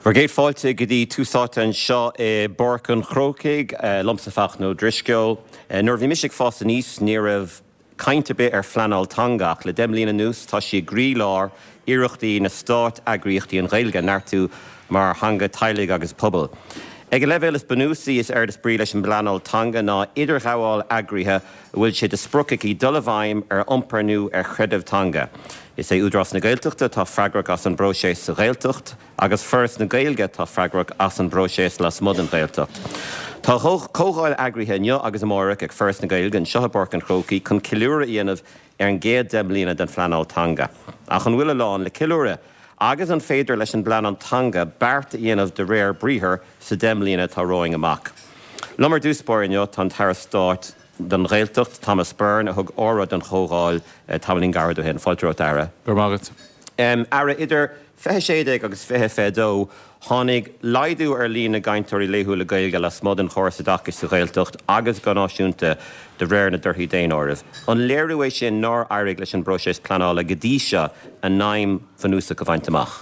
Bhur gcéad fáilte go dtí Tús Áite anseo i bPáirc an Chrócaigh, liomsa Fachtna Ó Drisceoil. Nuair a bhí mise ag fás aníos ní raibh caint ar bith ar phleanáil teanga ach le 10 mbliana anuas tá sí i gcroílár iarrachtaí na stát-eagraíochtaí an Ghaeilge a neartú mar theanga teaghlaigh agus pobail. Ag an leibhéal is bunúsaí is éard is brí leis an bpleanáil teanga ná idirghabháil eagraithe a bhfuil sé de sprioc aici dul i bhfeidhm ar iompar nó ar chreideamh teanga. Is é Údarás na Gaeltachta atá freagrach as an bpróiseas sa Ghaeltacht agus Foras na Gaeilge atá freagrach as an bpróiseas lasmuigh den Ghaeltacht. Tá comhdháil eagraithe inniu agus amárach ag Foras na Gaeilge anseo i bPáirc an Chrócaigh chun ceiliúradh a dhéanamh ar an gcéad 10 mbliana den phleanáil teanga. Ach an bhfuil a lán le ceiliúradh? Agus an féidir leis an bpleanáil teanga beart a dhéanamh de réir briathair sa 10 mbliana atá romhainn amach? Liom ar dtús báire inniu tá an tAire Stáit don Ghaeltacht, Thomas Byrne, a thug óráid don chomhdháil tamaillín gairid ó shin. Fáilte romhat, a Aire. Go raibh maith agat. Aire, idir 2016 agus 2022, tháinig laghdú ar líon na gcainteoirí laethúla Gaeilge lasmuigh den chóras oideachais sa Ghaeltacht agus go náisiúnta de réir na dtorthaí daonáirimh. An léiriú é sin nár éirigh leis an bpróiseas pleanála go dtí seo a n-aidhm bhunúsach a bhaint amach?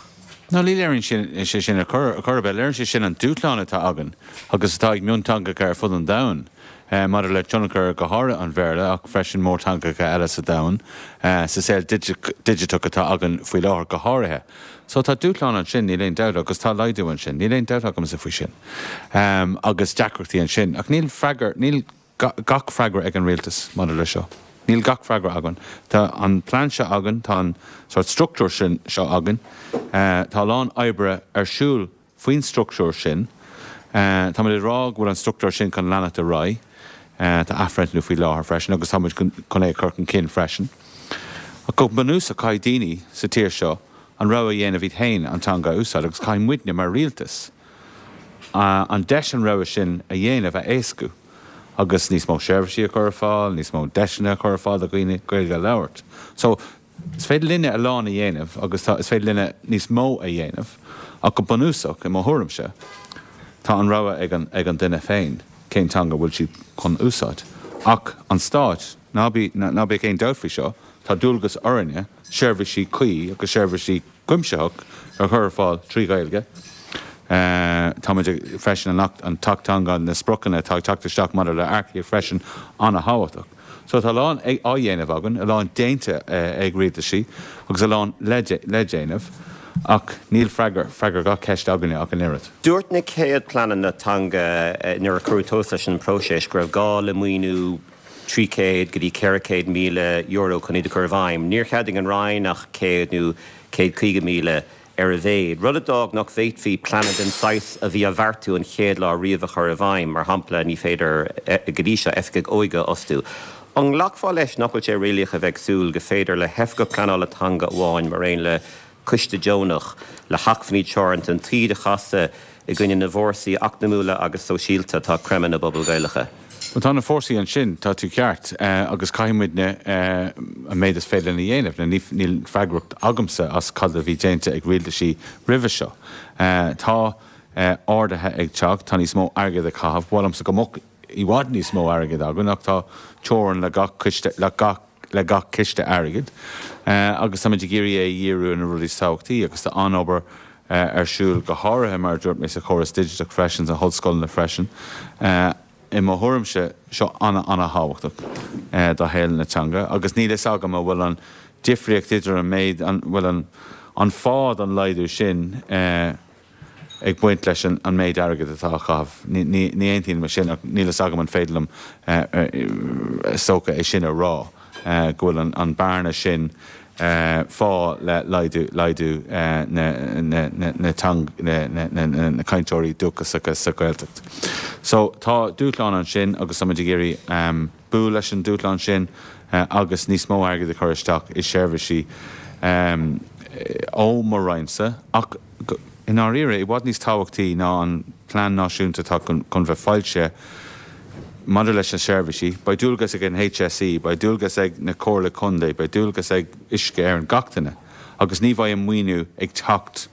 No, ní léiríonn sé sin ar chor ar bith. Léiríonn sé sin an dúshlán atá againn agus atá ag mionteangacha ar fud an domhain maidir le tionchar go háirithe an Bhéarla ach freisin mórteangacha eile sa domhan, sa saol digiteach atá againn faoi láthair go háirithe. So tá dúshlán ansin, níl aon dabht, agus tá laghdú ansin, níl aon dabht agamsa faoi sin. Agus deacrachtaí ansin. Ach níl freagra, níl gach freagra ag an rialtas maidir le seo. Níl gach freagra againn. Tá an plean seo againn, tá an sórt struchtúr sin seo againn, tá a lán oibre ar siúl faoin struchtúr sin. Táimid ag rá go bhfuil an struchtúr sin chun leanacht ar aghaidh. Tá athbhreithniú faoi láthair freisin agus táimid chun é a chur chun cinn freisin. Ach go bunúsach caithfidh daoine sa tír seo an rogha a dhéanamh iad féin an teanga a úsáid agus caithfidh muidne mar rialtas an deis an rogha sin a dhéanamh a éascú agus níos mó seirbhísí a chur ar fáil, níos mó deiseanna a chur ar fáil do dhaoine Gaeilge a labhairt. So, is féidir linne a lán a dhéanamh agus tá, is féidir linne níos mó a dhéanamh ach go bunúsach, i mo thuairimse, tá an rogha ag an, ag an duine féin cén teanga a bhfuil siad chun úsáid. Ach an Stáit, ná bí, ná bíodh aon dabht faoi seo, tá dualgas orainne seirbhísí cuí agus seirbhísí cuimsitheach a chur ar fáil trí Ghaeilge. Táimid ag, freisin, an Acht, an tAcht Teanga, na spriocanna atá ag teacht isteach maidir le earcaíocht freisin, an-thábhachtach. So tá a lán á dhéanamh againn, a lán déanta ag rialtaisí agus a lán le déanamh ach níl freagra, freagra gach ceist againne ach an oiread. Dúirt na chéad pleananna teanga nuair a cuireadh tús leis an bpróiseas go raibh gá le maoiniú €300 go dtí €400,000 chun iad a chur i bhfeidhm. Níor cheadaigh an Roinn ach 100 nó 150,000 ar a mhéad, rud a d'fhág nach bhféadfaí pleananna den saghas a bhí á bheartú an chéad lá riamh a chur i bhfeidhm, mar shampla, ní féidir go dtí seo oifigigh óige a fhostú. An nglacfá leis nach bhfuil sé réalaíoch a bheith ag súil go féidir le hoifigeach pleanála teanga amháin mar aon le coiste deonach le hacmhainní teoranta an taoide a chasadh i gcoinne na bhfórsaí eacnamúla agus sóisialta atá ag creimeadh na bpobal Gaelacha. Bhuel, tá na fórsaí ansin, tá tú ceart, agus caithfidh muidne an méid is féidir linn a dhéanamh. Now, níl freagracht agamsa as cad a bhí déanta ag rialtaisí roimhe seo. Tá arduithe ag teacht, tá níos mó airgid á chaitheamh. Ba mhaith liomsa go mbeadh i bhfad níos mó airgid againn ach tá teorainn le gach coiste, le gach, le gach ciste airgid agus táimid ag iarraidh é a dhíriú ar na rudaí is tábhachtaí agus tá an-obair ar siúl go háirithe mar a dúirt mé sa chóras digiteach freisin, sna hollscoileanna freisin. I mo thuairimse, seo ana-ana-thábhachtach do shaol na teanga agus níl fhios agam an bhfuil an difríocht idir an méid, an bhfuil an an fáth don laghdú sin ag baint leis an méid airgid atá á chaitheamh. Ní aontaím leis sin ach níl fhios agam an féidir liom is dócha é sin a rá, go bhfuil an bearna sin fáth le laghdú laghdú na na cainteoirí dúchasacha sa Ghaeltacht. So tá dúshlán ansin agus táimid ag iarraidh bualadh leis an dúshlán sin agus níos mó airgid a chur isteach i seirbhísí ó mo Roinnse ach I ndáiríre, i bhfad níos tábhachtaí ná an plean náisiúnta atá chun bheith foilsithe maidir leis na seirbhísí, beidh dualgas ag an HSE, beidh dualgas ag na Comhairle Contae, beidh dualgas ag Uisce Éireann, gach duine, agus ní bheidh an maoiniú ag teacht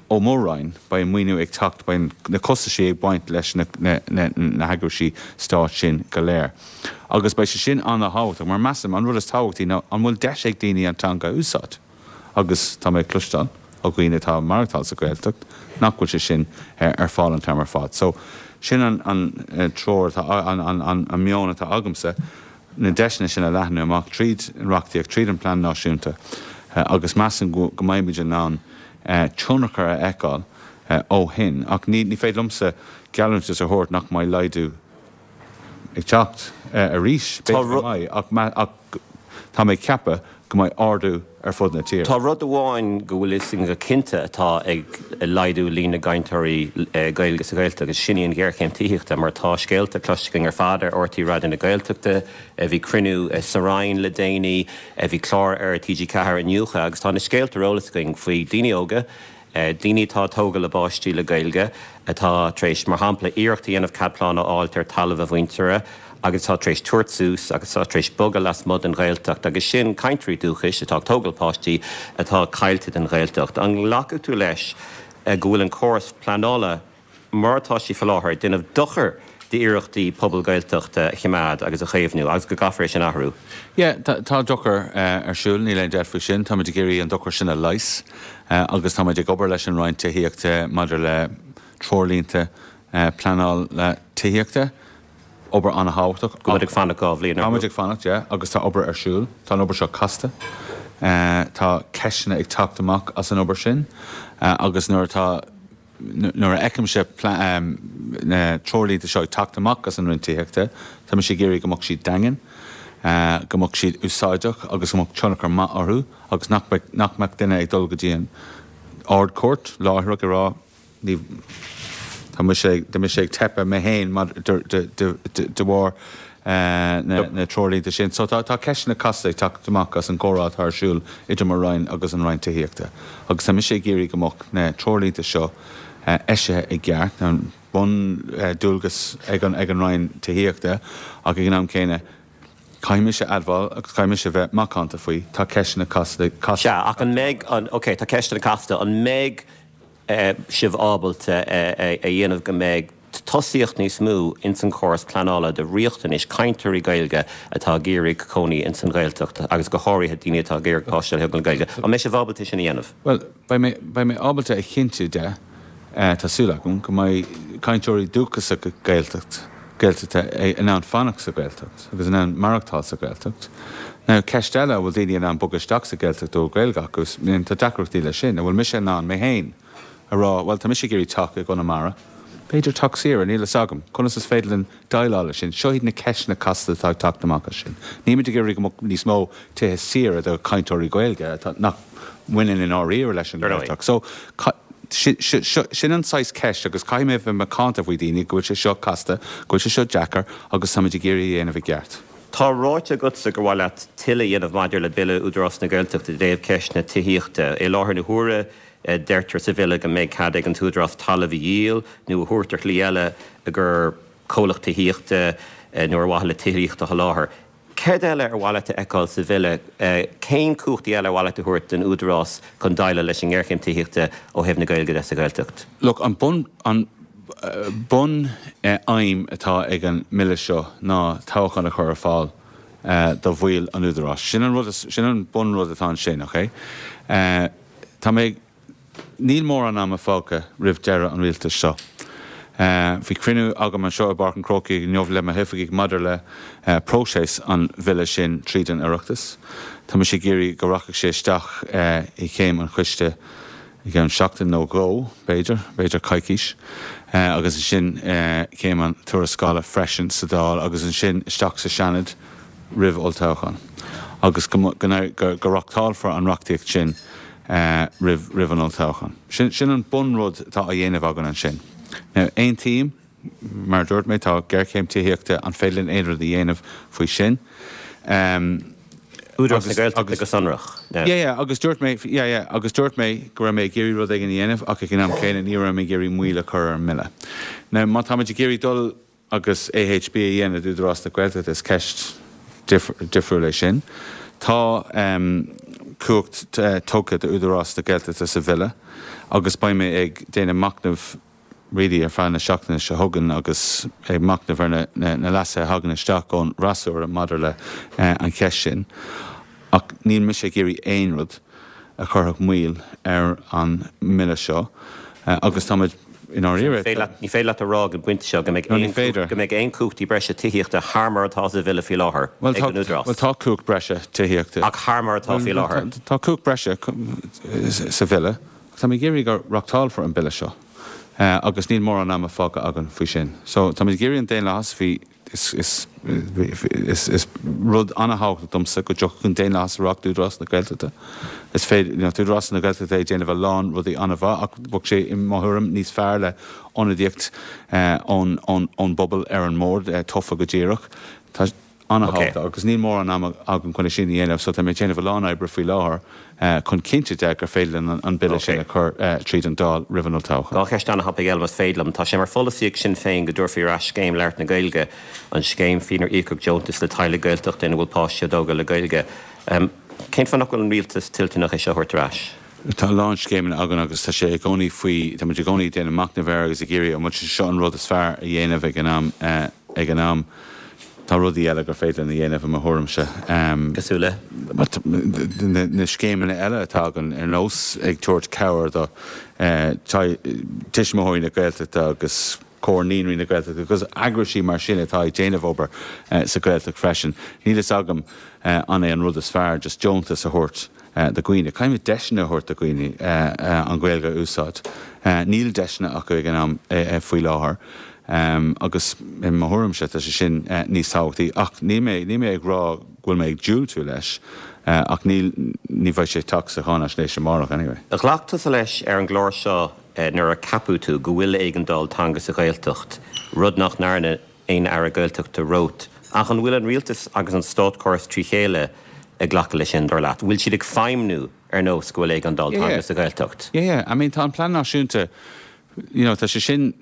ó mo Roinn, beidh an maoiniú ag teacht, beidh na costaisí ag baint leis na heagraisí stáit sin go léir. Agus beidh sé sin an-thábhachtach, mar measaim, an rud is tábhachtaí ná an bhfuil deis ag daoine an teanga a úsáid? Agus tá mé ag cloisteáil. ó dhaoine atá ag maireachtáil sa Ghaeltacht nach bhfuil sé sin ar fáil an t-am ar fad. So, sin an treoir atá, an meon atá agamsa, na deiseanna sin a leathnú amach tríd an reachtaíocht, tríd an bplean náisiúnta agus measaim go mbeimid in ann tionchar a fheiceáil ó shin. Ach ní féidir liomsa geallúntas a thabhairt nach mbeidh laghdú ag teacht arís, b'fhéidir go mbeidh, ach tá mé ag ceapadh go mbeidh ardú ar fud na tíre. Tá rud amháin go bhfuil fhios againn go cinnte atá ag laghdú líon na gcainteoirí Gaeilge sa Ghaeltacht agus sin í an ghéarchéim tithíochta mar tá scéalta cloiste againn ar fad ar RTÉ Raidió na Gaeltachta, bhí cruinniú sa Roinn le déanaí, bhí clár ar TG4 inniu agus tá na scéalta ar eolas againn faoi daoine óga, Daoine atá ag tógáil a bpáistí le Gaeilge, atá tar éis, mar shampla, iarracht a dhéanamh cead pleanála a fháilt ar talamh a mhuintire agus atá tar éis tabhairt suas agus atá tar éis bogadh lasmuigh den Ghaeltacht agus sin cainteoirí dúchais atá ag tógáil páistí atá caillte don Ghaeltacht. An nglacfaidh tú leis go bhfuil an córas pleanála mar atá sé faoi láthair, ag déanamh dochair d'iarrachtaí pobal Gaeltachta a choimeád agus a chaomhnú agus go gcaithfear é sin a athrú. Yeah, tá dochar ar siúl, níl aon dabht faoi sin. Táimid ag iarraidh an dochar sin a leigheas agus táimid ag obair leis an Roinn Tithíochta maidir le treoirlínte pleanála tithíochta. Obair an-thábhachtach. Go bhfuil muid ag fanacht 2 bhliain orthu. Táimid ag fanacht, yeah, agus tá obair ar siúl. Tá an obair seo casta. Tá ceisteanna ag teacht amach as an obair sin agus nuair atá. Nuair a fheicimse na treoirlínte seo ag teacht amach as an Roinn Tithíochta, tá mise ag iarraidh go mbeadh siad daingean, go mbeadh siad úsáideach agus go mbeadh tionchar maith orthu agus nach mbeadh, nach mbeadh duine ag dul go dtí an Ard-Chúirt láithreach ag rá ní, tá mise, tá mise ag teipeadh mé féin de bharr na treoirlínte sin. So tá ceisteanna casta ag teacht amach as an gcomhrá atá ar siúl idir mo Roinn agus an Roinn Tithíochta agus tá mise ag iarraidh go mbeadh na treoirlínte seo eisithe i gceart, bun-dualgas ag an Roinn Tithíochta ach ag an am céanna caithfidh mise a admháil agus caithfidh mise a bheith macánta faoi, tá ceisteanna casta. Sea, ach an mbeidh an, ok, tá ceisteanna casta, an mbeidh sibh ábalta a dhéanamh go mbeidh tosaíocht níos mó ins an chóras pleanála do riachtanais cainteoirí Gaeilge atá ag iarraidh cónaí ins an Ghaeltacht agus go háirithe daoine atá ag iarraidh páiste a thógáil le Gaeilge. An mbeidh sibh ábalta sin a dhéanamh? Bhuel, beidh mé, beidh mé ábalta a chinntiú de, tá súil agam, go mbeidh cainteoirí dúchasacha Gaeltacht, Gaeltachta in ann fanacht sa Ghaeltacht agus in ann maireachtáil sa Ghaeltacht. Now, ceist eile, an bhfuil daoine in ann bogadh isteach sa Ghaeltacht a bhfuil Gaeilge acu? Tá deacrachtaí leis sin. An bhfuil mise in ann, mé féin, a rá, bhuel, tá mise ag iarraidh teach i gConamara, b'fhéidir teach saoire, níl fhios agam. Conas is féidir linn déileáil leis sin? Seo iad na ceisteanna casta atá ag teacht amach as sin. Nílimid ag iarraidh go mbeadh níos mó tithe saoire do chainteoirí Gaeilge atá, nach mbaineann i ndáiríre leis an Ghaeltacht. So, Sin an saghas ceist agus caithfidh mé a bheith macánta faoi daoine go bhfuil sé seo casta, go bhfuil sé seo deacair agus táimid ag iarraidh a dhéanamh i gceart. Tá ráite agatsa gur mhaith leat tuilleadh a dhéanamh maidir le Bille Údarás na Gaeltachta i dtaobh ceist na tithíochta. I láthair na huaire deirtear sa bhille go mbeidh cead ag an t-údarás talamh a dhíol nó a thabhairt ar shlí eile i gcomhair comhlacht tithíochta nó ar mhaithe le tithíocht a sholáthar. Céard eile ar mhaith leat a fheiceáil sa bhille? Cén cumhachtaí eile ar mhaith leat a thabhairt don Údarás chun déileáil leis an ngéarchéim tithíochta ó thaobh na Gaeilge de sa Ghaeltacht? Look, an bun, an bun aidhm atá ag an mBille seo ná toghchán a chur ar fáil do bhaill an Údaráis. Sin an rud, sin an bun rud atá ansin, ok? Tá mé ag. Níl mórán ama fágtha roimh deireadh an rialtais seo. Bhí cruinniú agam anseo i bPáirc an Chrócaigh inniu le mo hoifigigh maidir le próiseas an bhille sin tríd an Oireachtas. Tá mise ag iarraidh go rachadh sé isteach i chéim an choiste i gceann seachtain nó dhó, b'fhéidir, b'fhéidir coicís, agus ansin céim an tuarascála freisin sa Dáil agus ansin isteach sa Seanad roimh olltoghchán agus go reachtálfar an reachtaíocht sin roimh roimh an olltoghchán. Sin sin an bunrud atá á dhéanamh againn ansin. Now, aontaím, mar a dúirt mé, tá géarchéim tithíochta, an féidir linn aon rud a dhéanamh faoi sin? Údarás na Gaeltachta go sonrach. Yeah, yeah, agus dúirt mé, yeah, yeah, agus dúirt mé go raibh mé ag iarraidh rud éigin a dhéanamh ach ag an am céanna ní raibh mé ag iarraidh moill a chur ar an mbille. Now, má táimid ag iarraidh dul agus AHB a dhéanamh d'Údarás na Gaeltachta, is ceist difriúil é sin. Tá cumhacht tugtha d'Údarás na Gaeltachta sa Bhille agus beidh mé ag déanamh machnaimh really ar feadh na seachtaine seo chugainn agus ag machnamh ar na leasuithe a thagann isteach ón bhfreasúra maidir le an cheist sin. Ach níl mise ag iarraidh aon rud. a chuirfeadh moill ar an mBille seo agus táimid i ndáiríre. Ní féidir leat a rá ag an bpointe seo go mbeidh aon go mbeidh aon chumhachtaí breise tithíochta thar mar atá sa Bhille faoi láthair ag an Údarás. Bhuel tá cumhacht breise tithíochta. Ach thar mar atá faoi láthair. Tá cumhacht breise sa Bhille ach táimid ag iarraidh go reachtálfar an Bille seo agus níl mórán ama fágtha againn faoi sin. So táimid ag iarraidh an daonlathas, bhí Is rud an-thábhachtach domsa go dtiocfadh an daonlathas ar ais d'Údarás na Gaeltachta. Is féidir, you know, tá Údarás na Gaeltachta ag déanamh a lán rudaí an-mhaith ach bheadh sé, i mo thuairim, níos fearr le ionadaíocht ón bpobal ar an mbord, tofa go díreach. Tá an-thábhachtach agus níl mórán ama agam chun é sin a dhéanamh so tá mé ag déanamh a lán oibre faoi láthair. chun cinnte de gur féidir linn an Bille sin a chur tríd an Dáil roimh an olltoghchán. Dá cheist an-thapaidh eile más féidir liom. Tá sé mar pholasaí ag Sinn Féin go dtabharfaí ar ais Scéim Labhairt na Gaeilge, an scéim faoinar íocadh deontas le teaghlaigh Gaeltachta ina bhfuil páistí á dtógáil le Gaeilge. Cén fáth nach bhfuil an rialtas toilteanach é seo a thabhairt ar ais? Tá a lán scéimeanna againn agus tá sé i gcónaí faoi, tá muid i gcónaí ag déanamh machnaimh air agus ag iarraidh an bhfuil sé seo an rud is fearr a dhéanamh ag an am. Ag an am, tá rudaí eile gur féidir linn a dhéanamh, i mo thuairimse. Cosúil le? Na scéimeanna eile atá againn, ar nós ag tabhairt cabhair do Tuismitheoirí na Gaeltachta agus Comhar Naíonraí na Gaeltachta agus eagraisí mar sin atá ag déanamh obair sa Ghaeltacht freisin. Níl fhios agam an é an rud is fearr just deontas a thabhairt do dhaoine. Caithfimid deiseanna a thabhairt do dhaoine an Ghaeilge a úsáid. Níl deiseanna acu ag an am faoi láthair. Agus i mo thuairimse tá sé sin níos tábhachtaí. Ach níl mé, níl mé ag rá go bhfuil mé ag diúltú leis, ach níl, ní bheidh sé ag teacht sa cháinaisnéis amárach anyway. Ghlac tusa leis ar an gclár seo nuair a ceapadh tú go bhfuil éigeandáil teanga sa Ghaeltacht, rud nach ndearna aon Aire Gaeltachta romhat. Ach an bhfuil an rialtas agus an státchóras trí chéile ag glacadh leis sin, dar leat? Bhfuil siad ag feidhmniú ar nós go bhfuil éigeandáil teanga sa Ghaeltacht? Yeah, yeah. I mean tá an Plean Náisiúnta, you know, tá sé sin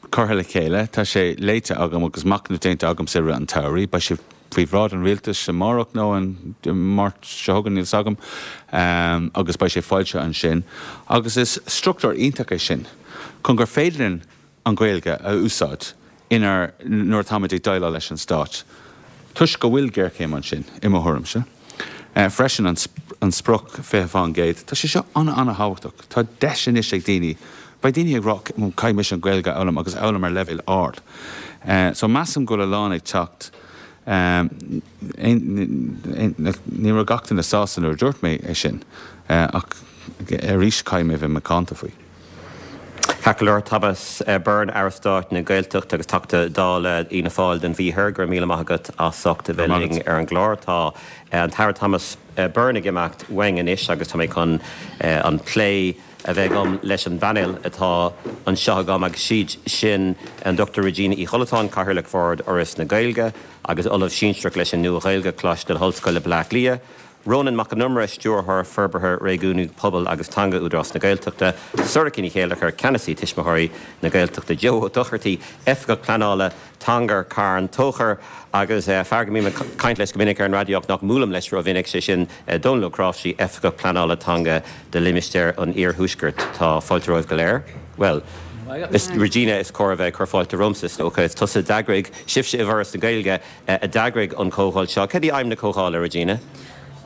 curtha le chéile, tá sé léite agam agus machnamh déanta agamsa i rith an tsamhraidh. Beidh sé faoi bhráid an Rialtais amárach nó an Máirt seo chugainn, níl 's agam, agus beidh sé foilsithe ansin. Agus is struchtúr iontach é sin chun gur féidir linn an Ghaeilge a úsáid inár, nuair atáimid ag déileáil leis an Stát, toisc go bhfuil géarchéim ansin, i mo thuairimse. Freisin, an sprioc 20%, tá sé seo an-an-thábhachtach. Tá deis anois ag daoine, beidh daoine ag rá caithfidh mise an Ghaeilge a fhoghlaim agus a fhoghlaim ar leibhéal ard. So measaim go bhfuil a lán ag teacht. Ní raibh gach duine sásta nuair a dúirt mé é sin, ach arís caithfidh mé bheith macánta faoi. Ceart go leor, Thomas Byrne, Aire Stáit na Gaeltachta agus Teachta Dála Fhianna Fáil don Mhí Thoir, go raibh míle maith agat as ucht a bheith linn ar an gclár. Tá an tAire Thomas Byrne ag imeacht uainn anois agus tá mé chun an plé a bheith agam leis an bpainéal atá anseo agam agus siad sin an Dr Regina Uí Chollatáin, Cathaoirleach Bhord Fhoras na Gaeilge agus Ollamh Sinsearach leis an Nua-Ghaeilge, Coláiste na hOllscoile, Baile Átha Cliath, Rónán Mac Con Iomaire, Stiúrthóir Forbartha Réigiúnaí Pobail agus Teanga Údarás na Gaeltachta, Sorcha Ní Chéilleachair, Ceannasaí Tuismitheoirí na Gaeltachta, Joe Ó Dochartaigh, Oifigeach Pleanála Teanga Carn Tóchair agus fear go mbím ag caint leis go minic ar an raidió ach nach mbuailim leis rómhinic, sé sin Dónal Ó Cnáimhsí, Oifigeach Pleanála Teanga do Limistéar an Iarthuaiscirt. Tá fáilte romhaibh go léir. Bhuel, is Regina is cóir a bheith ag cur fáilte romhamsa is dócha. Is tusa a d'eagraigh, sibhse i bhForas na Gaeilge, a d'eagraigh an chomhdháil seo. Cad í aidhm na comhdhála, Regina?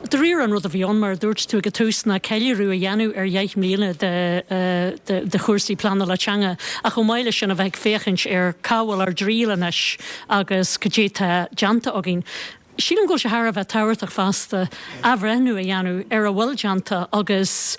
Dáiríre an rud a bhí ann, mar a dúirt tú ag an tús, ná ceiliúradh a dhéanamh ar dheich mbliana de chúrsaí pleanála teanga ach chomh maith leis sin a bheith ag féachaint ar cá bhfuil ár dtriall anois agus cad é tá déanta againn. Sílim go bhfuil sé thar a bheith tábhachtach fosta athbhreithniú a dhéanamh ar a bhfuil déanta agus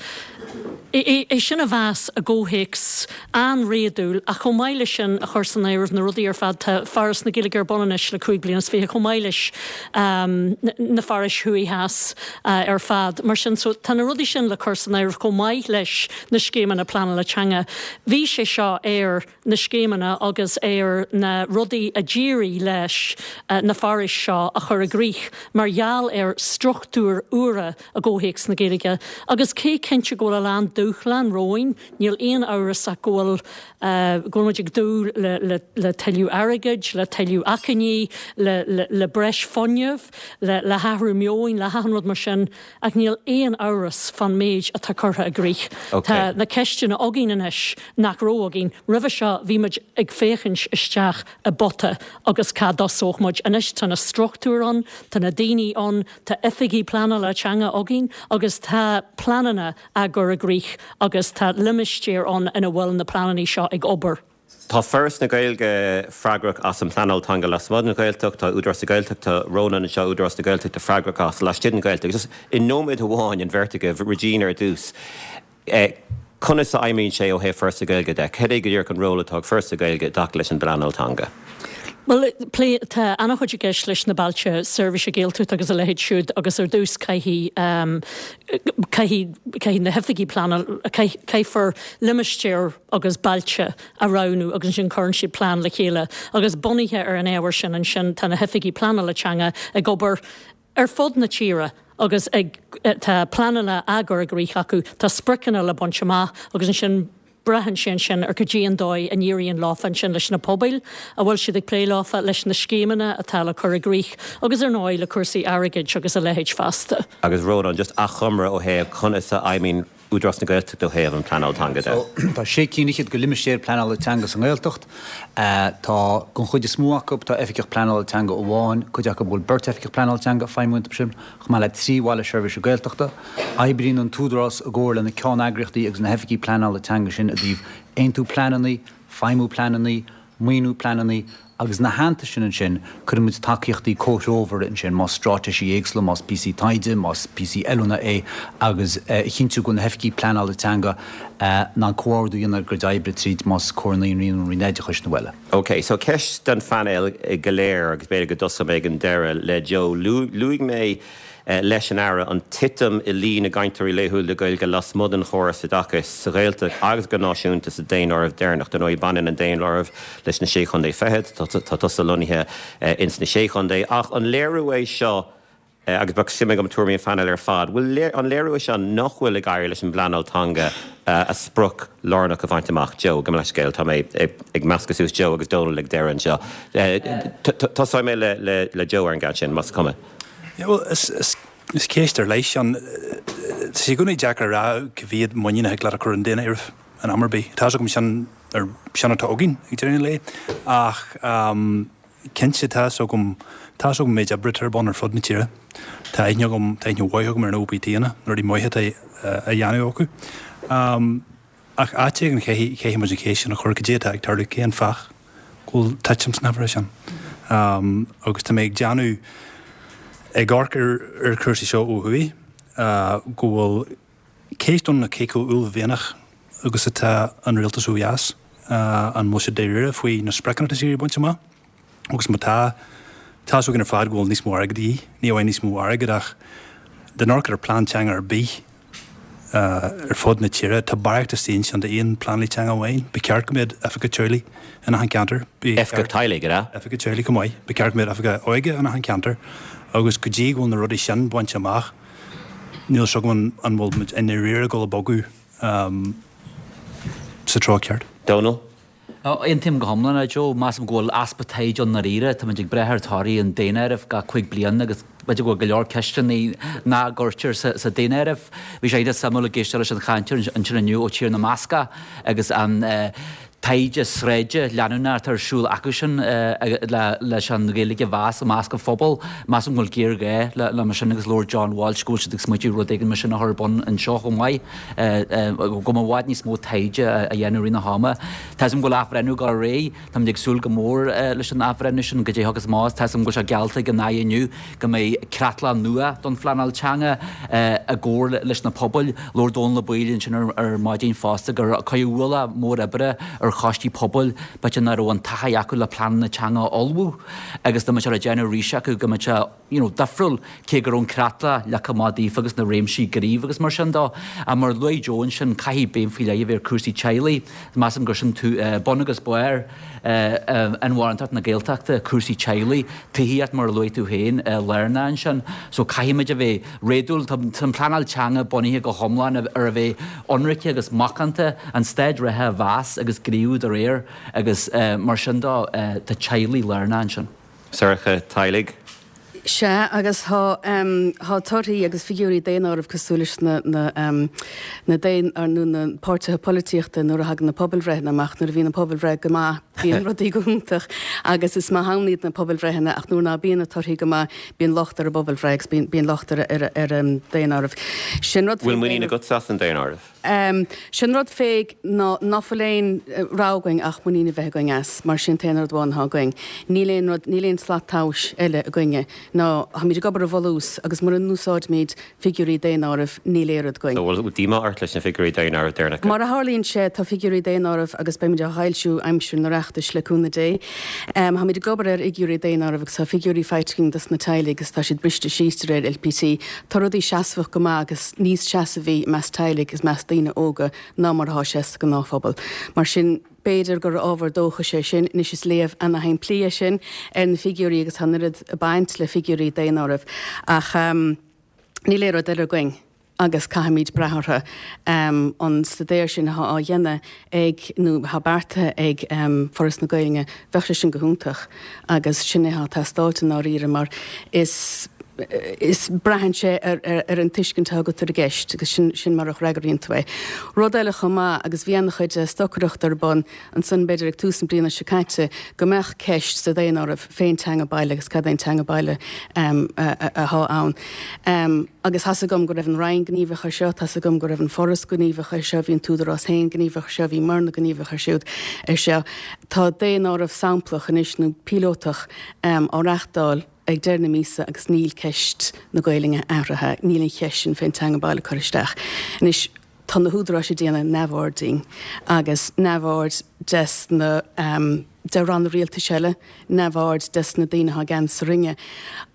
é sin a mheas i gcomhthéacs an-réadúil ach chomh maith leis sin a chur san áireamh na rudaí ar fad, tá Foras na Gaeilge ar bun anois le cúig bliana is fiche chomh maith leis na forais thuaidh theas ar fad. Mar sin so tá na rudaí sin le cur san áireamh chomh maith leis na scéimeanna pleanála teanga. Bhí sé seo ar na scéimeanna agus ar na rudaí a d'éirigh leis na forais seo a chur i gcrích mar gheall ar struchtúir úra i gcomhthéacs na Gaeilge. Agus cé cinnte go bhfuil a lán dúshlán romhainn, níl aon amhras ach go bhfuil, go bhfuil muid ag dúil le, le, le tuilleadh airgid, le tuilleadh acmhainní, le, le, le breis fuinnimh, le, le hathrú meoin, le hachan rud mar sin, ach níl aon amhras fán méid atá curtha i gcrích. Tá na ceisteanna againn anois nach raibh againn roimhe seo, bhí muid ag féachaint isteach i bpota agus cá dtosódh muid. Anois tá na struchtúir ann. ann, tá na daoine ann, tá oifigigh pleanála teanga againn agus tá pleananna á gcur i gcrích agus tá limistéir ann ina bhfuil na pleananna seo ag obair. Tá Foras na Gaeilge freagrach as an bpleanáil teanga lasmuigh den Ghaeltacht, tá Údarás na Gaeltachta, Rónán anseo, Údarás na Gaeltachta freagrach as laistigh den Ghaeltacht. Just i nóiméad amháin, an bheirt agaibh, Regina ar dtús, conas a fheidhmíonn sé ó thaobh Foras na Gaeilge de? Cad é go díreach an ról atá ag Foras na Gaeilge i dtaca leis an bpleanáil teanga? Bhuel, plé, tá an-chuid i gceist leis na bailte seirbhíse Gaeltachta agus a leithéid siúd agus ar dtús caithfidh, caithfidh, caithfidh na hoifigigh pleanáil, caithfear limistéir agus bailte a roghnú agus ansin cuireann siad plean le chéile agus bunaithe ar an ábhar sin ansin tá na hoifigigh pleanála teanga ag obair ar fud na tíre agus ag, tá pleananna á gcur i gcrích acu, tá spriocanna le baint amach agus ansin braitheann sé ansin ar cad é an dóigh a n-éiríonn leofa ansin leis na pobail a bhfuil siad ag plé leofa, leis na scéimeanna atá le cur i gcrích agus ar ndóigh le cúrsaí airgid agus a leithéid feasta. Agus Rónán, just achoimre ó thaobh conas a fheidhmíonn Údarás na Gaeltachta ó thaobh an pleanáil teanga de. Tá sé cinn fhichead de limistéir pleanála teanga sa nGaeltacht. Tá, don chuid is mó acu, tá oifigeach pleanála teanga amháin, cuid acu bhfuil beirt oifigeach pleanála teanga ag feidhmiú iontu sin, chomh maith le 3 bhaile seirbhíse Gaeltachta. Oibríonn an tÚdarás i gcomhar le na ceanneagraíochtaí agus na hoifigí pleanála teanga sin i dtaobh aontú pleananna, feidhmiú pleananna, maoiniú pleananna agus ina theannta sin ansin cuireann muid tacaíochtaí comhthreomhara ansin, más straitéisí éagsúla, más píosaí taighde, más píosaí oiliúna é agus a chinntiú go bhfuil na hoifigí pleanála teanga in ann comhordú a dhéanamh ar a gcuid oibre tríd más Comhar Naíonraí nó Roinn Oideachais nó eile. Ok, so ceist don phainéal go léir agus b'fhéidir go dtosóidh mé ag an deireadh le Joe. Luaigh mé leis an Aire an titim i líon na gcainteoirí laethúla Gaeilge lasmuigh den chóras oideachais sa Ghaeltacht agus go náisiúnta sa daonáireamh deireanach. Dar ndóigh baineann an daonáireamh leis na Sé Chontae Fichead, tá tusa lonnaithe ins na Sé Chontae. Ach an léiriú é seo, agus bheadh suim agam tuairimí an phainéil ar fad, bhfuil an léiriú é seo nach bhfuil ag éirí leis an bpleanáil teanga a sprioc lárnach a bhaint amach? Joe, gabh mo leithscéal, tá mé ag meascadh suas Joe agus Dónal ag deireadh anseo. Tosóidh mé le Joe ar an gceann sin, más cuma. Yeah, bhuel, is, is, is ceist ar leith sin. Tá sé i gcónaí deacair a rá cá mhéad muinín a thig leat a chur i ndaonáireamh in am ar bith. Tá 'fhios agam sin, ar, sin atá againn ag deireadh an lae. Ach, um, cinnte, tá 'fhios agam, tá 'fhios agam méid oibre atá ar bun ar fud na tíre. Tá aithne agam, tá aithne mhaith agam ar na OPTanna, na rudaí maithe atá á dhéanamh acu. Um, Ach áit éigin caithfidh muid an cheist sin a chur, cad é atá ag tarlú, cén fáth go bhfuil titim sna huimhreacha sin? Agus tá mé ag déanamh, ag amharc ar chúrsaí seo ó thuaidh, go bhfuil ceist ann cé chomh uaillmhianach agus atá an rialtas ó dheas, an bhfuil siad dáiríre faoi na spriocanna atá siad ag baint amach? Agus má tá, tá 'fhios againn ar fad go bhfuil níos mó airgid de dhíth, ní amháin níos mó airgid ach dá n-amharcfá ar plean teanga ar bith ar fud na tíre, tá barraíocht istigh ansin d'aon pleanálaí teanga amháin. Ba cheart go mbeadh oifigeach teaghlaigh in achan ceantar. Oifigeach teaghlaigh, an ea? Oifigeach teaghlaigh chomh maith. Ba cheart go mbeadh oifigeach óige in achan ceantar agus go dtí go bhfuil na rudaí sin bainte amach, níl 'fhios agam an bhfuil muid i ndáiríre ag dul ag bogadh sa treo ceart. Dónal? Aontaím go hiomlán le Joe. Measaim go bhfuil easpa taighde ann ndáiríre. Táimid ag brath ar torthaí an daonáirimh gach 5 bliana agus b'fhéidir go bhfuil go leor ceisteanna nach gcuirtear sa daonáireamh. Bhí sé iontach suimiúil ag éisteacht leis an chainteoir ansin inniu ó Tír na mBascach agus an taighde sráide leanúnach atá ar siúl acusan leis an Ghaeilge a mheas i measc an phobail. Measaim go bhfuil géarghá le mar sin agus labhair John Walsh go bhfuil siad ag smaoitiú rud éigin mar sin a chur ar bun anseo chomh maith. go mbeadh i bhfad níos mó taighde a dhéanamh i rith na hama. Tá 'fhios agam go bhfuil athbhreithniú ag dul ar aghaidh. Táimid ag súil go mór leis an athbhreithniú sin, goidé a thiocfas amach. Tá 'fhios agam go bhfuil sé geallta ag an Aire inniu go mbeidh creatlach nua don phleanáil teanga i gcomhar leis na pobail. Labhair Dónal Ó Baoill ansin ar maidin fosta gur cuireadh ualach mór oibre ar choistí pobail, b'fhéidir nach raibh an taithí acu le pleananna teanga a ullmhú agus dá mbeadh sé le déanamh arís acu go mbeadh sé you know, difriúil, cé go raibh an creatlach leagtha amach daofa agus na réimsí gnímh agus mar sin dó. Ach mar a luaigh Joe ansin, caithfidh béim faoi leith a bheith ar cúrsaí teaghlaigh. Measaim gur sin bun agus barr inmharthanacht na Gaeltachta, cúrsaí teaghlaigh, tithíocht mar a luaigh tú féin, lárnach ansin. So caithfimid a bheith réadúil. Tá an pleanáil teanga bunaithe go hiomlán ar a bheith ionraice agus macánta, an staid reatha a mheas agus gníomhú dá réir agus mar sin dó, tá teaghlaigh lárnach ansin. Sorcha, teaghlaigh. Sea, agus tá, tá torthaí agus figiúirí daonáirimh cosúil leis na, na, na daon, nó na páirtithe polaitíochta nuair a thagann na pobalbhreitheanna amach, nuair a bhíonn an pobalbhreith go maith. Bíonn rudaí go hiontach agus is maith ann iad na pobalbhreitheanna ach nuair ná bíonn na torthaí go maith, bíonn locht ar an bpobalbhreith agus bíonn locht ar an daonáireamh. Sin rud Bhfuil muinín agatsa as an daonáireamh? Sin rud fé ná ná fuil aon rogha againn ach muinín a bheith againn as, mar sin t-aon rud amháin atá againn. Níl aon rud, níl aon slat tomhais eile againne ná táimid ag obair ar bhunús agus mura n-úsáidimid figiúirí daonáirimh, níl aon rud againn. So bhfuil díomá ort leis na figiúirí daonáirimh deireanacha? Mar a tharlaíonn sé, tá figiúirí daonáirimh agus beimid á bhfoilsiú aimsir an Oireachtais, le cúnamh Dé. Táimid ag obair ar fhigiúirí daonáirimh agus tá figiúirí faighte againn dos na teaghlaigh agus tá siad briste síos de réir LPT. Tá rudaí seasmhach go maith agus níos seasmhaí i measc teaghlaigh agus i measc daoine óga ná mar atá sé sa ghnáthphobal. Mar sin, b'fhéidir gur ábhar dóchais é sin. Anois is léamh ana-shimplí é sin ar na figiúirí agus tá an oiread ag baint le figiúirí daonáirimh ach níl aon rud eile againn agus caithfimid brath orthu. An staidéar sin atá á dhéanamh ag, nó atá beartaithe ag Foras na Gaeilge, bheadh sé sin go hiontach agus sin é atá ag teastáilt i ndáiríre mar is is braitheann sé ar an tuiscint atá agat ar an gceist agus sin sin mar a fhreagraíonn tú é. Rud eile chomh maith, agus bhí an-chuid stocaireachta ar bun ansan b'fhéidir ag tús na bliana seo caite, go mbeadh ceist sa daonáireamh fén teanga baile agus cad é an teanga baile atá ann. Agus tá's agam go raibh an Roinn gníomhach ar seo, tá's agam go raibh an Foras gníomhach ar seo, bhí an tÚdarás féin gníomhach ar seo, bhí Morna gníomhach ar siúd ar seo. Tá daonáireamh samplach anois nó píolótach á reachtáil, ag deireadh na míosa agus níl ceist na Gaelainne athraithe, níl an cheist sin fén teanga baile curtha isteach. Anois, tá na húdaráis ag déanamh neamhaird dínn agus neamhaird des na, de ranna rialtais eile, neamhaird des na daoine atá i gceannas sa Roinn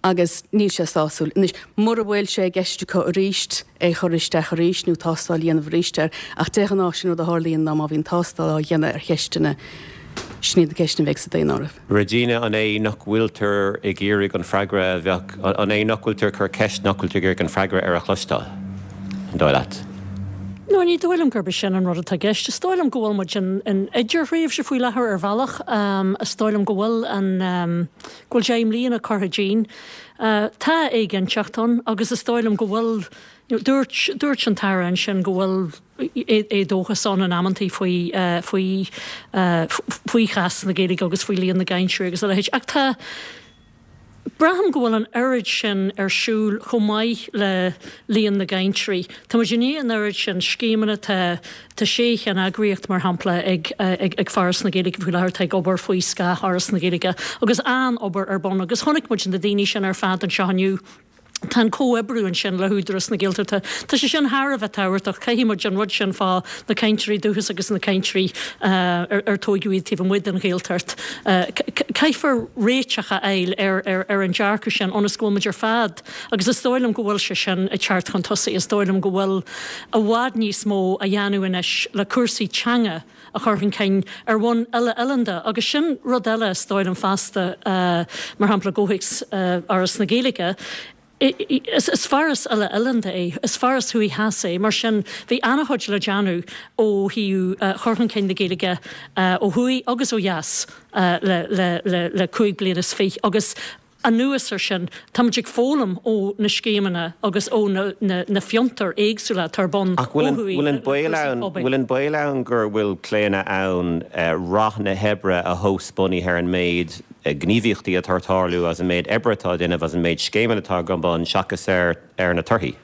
agus níl sé sásúil. Anois, mura bhfuil sé i gceist acu arís é a chur isteach arís nó tástáil a dhéanamh arís air, ach de ghnáth sin rud a tharlaíonn ná má bhíonn tástáil á dhéanamh ar cheisteanna, sin iad na ceisteanna a bheidh sa daonáireamh. Regina, An é nach bhfuiltear ag iarraidh an freagra a bheadh, an é nach bhfuiltear ag cur ceist nach bhfuiltear ag iarraidh an freagra air a chloisteáil, an dóigh leat? No, ní dóigh liom gurb é sin an rud atá i gceist. Is dóigh liom go bhfuil muid in idirthréimhse faoi láthair ar bhealach. Is dóigh liom go bhfuil an, go bhfuil 10 mbliana curtha dínn. Tá éiginnteacht ann agus is dóigh liom go bhfuil, you know, dúirt, dúirt an tAire ansin go bhfuil, éadóchas ann in amantaí faoi faoi faoi chás na Gaeilge agus faoi líon na gcainteoirí agus a leithéid. Ach tá, braithim go bhfuil an oiread sin ar siúl chomh maith le líon na gcainteoirí. Tá muid i ndiaidh an oiread sin scéimeanna, tá tá sé cheanneagraíocht mar shampla ag ag ag Foras na Gaeilge faoi láthair atá ag obair faoi scáth Fhoras na Gaeilge agus an-obair ar bun agus chonaic muid na daoine sin ar fad anseo inniu. Tá an comhoibriú ansin le hÚdarás na Gaeltachta, tá sé sin thar a bheith tábhachtach. Caithfidh muid an rud sin fá na cainteoirí dúchais agus na cainteoirí ar tóigeadh iad taobh amuigh den Ghaeltacht. Caithfear réiteach a fháil ar an dearcadh sin ionas go bhfuil muid ar fad, agus is dóigh liom go bhfuil sé sin ag teacht chun tosaigh, is dóigh liom go bhfuil i bhfad níos mó á dhéanamh anois le cúrsaí teanga a chur chun cinn ar bhonn uile-oileánda agus sin rud eile is dóigh liom feasta, mar shampla i gcomhthéacs Fhoras na Gaeilge, is foras uile-oileánda é, is foras thuaidh theas é, mar sin bhí an-chuid le déanamh ó thaobh chur chun cinn na Gaeilge ó thuaidh agus ó dheas le 25 bliana agus Anuas ar sin, táimid ag foghlaim ó na scéimeanna agus ó na fiontair éagsúla atá ar bun ó thuaidh le cúrsaí pobail. Bhfuil an baol ann gur bhfuil claonadh ann rath na hoibre a thomhas bunaithe ar an méid gníomhaíochtaí atá ag tarlú agus an méid oibre atá á déanamh agus an méid scéimeanna atá ar bun seachas ar na torthaí?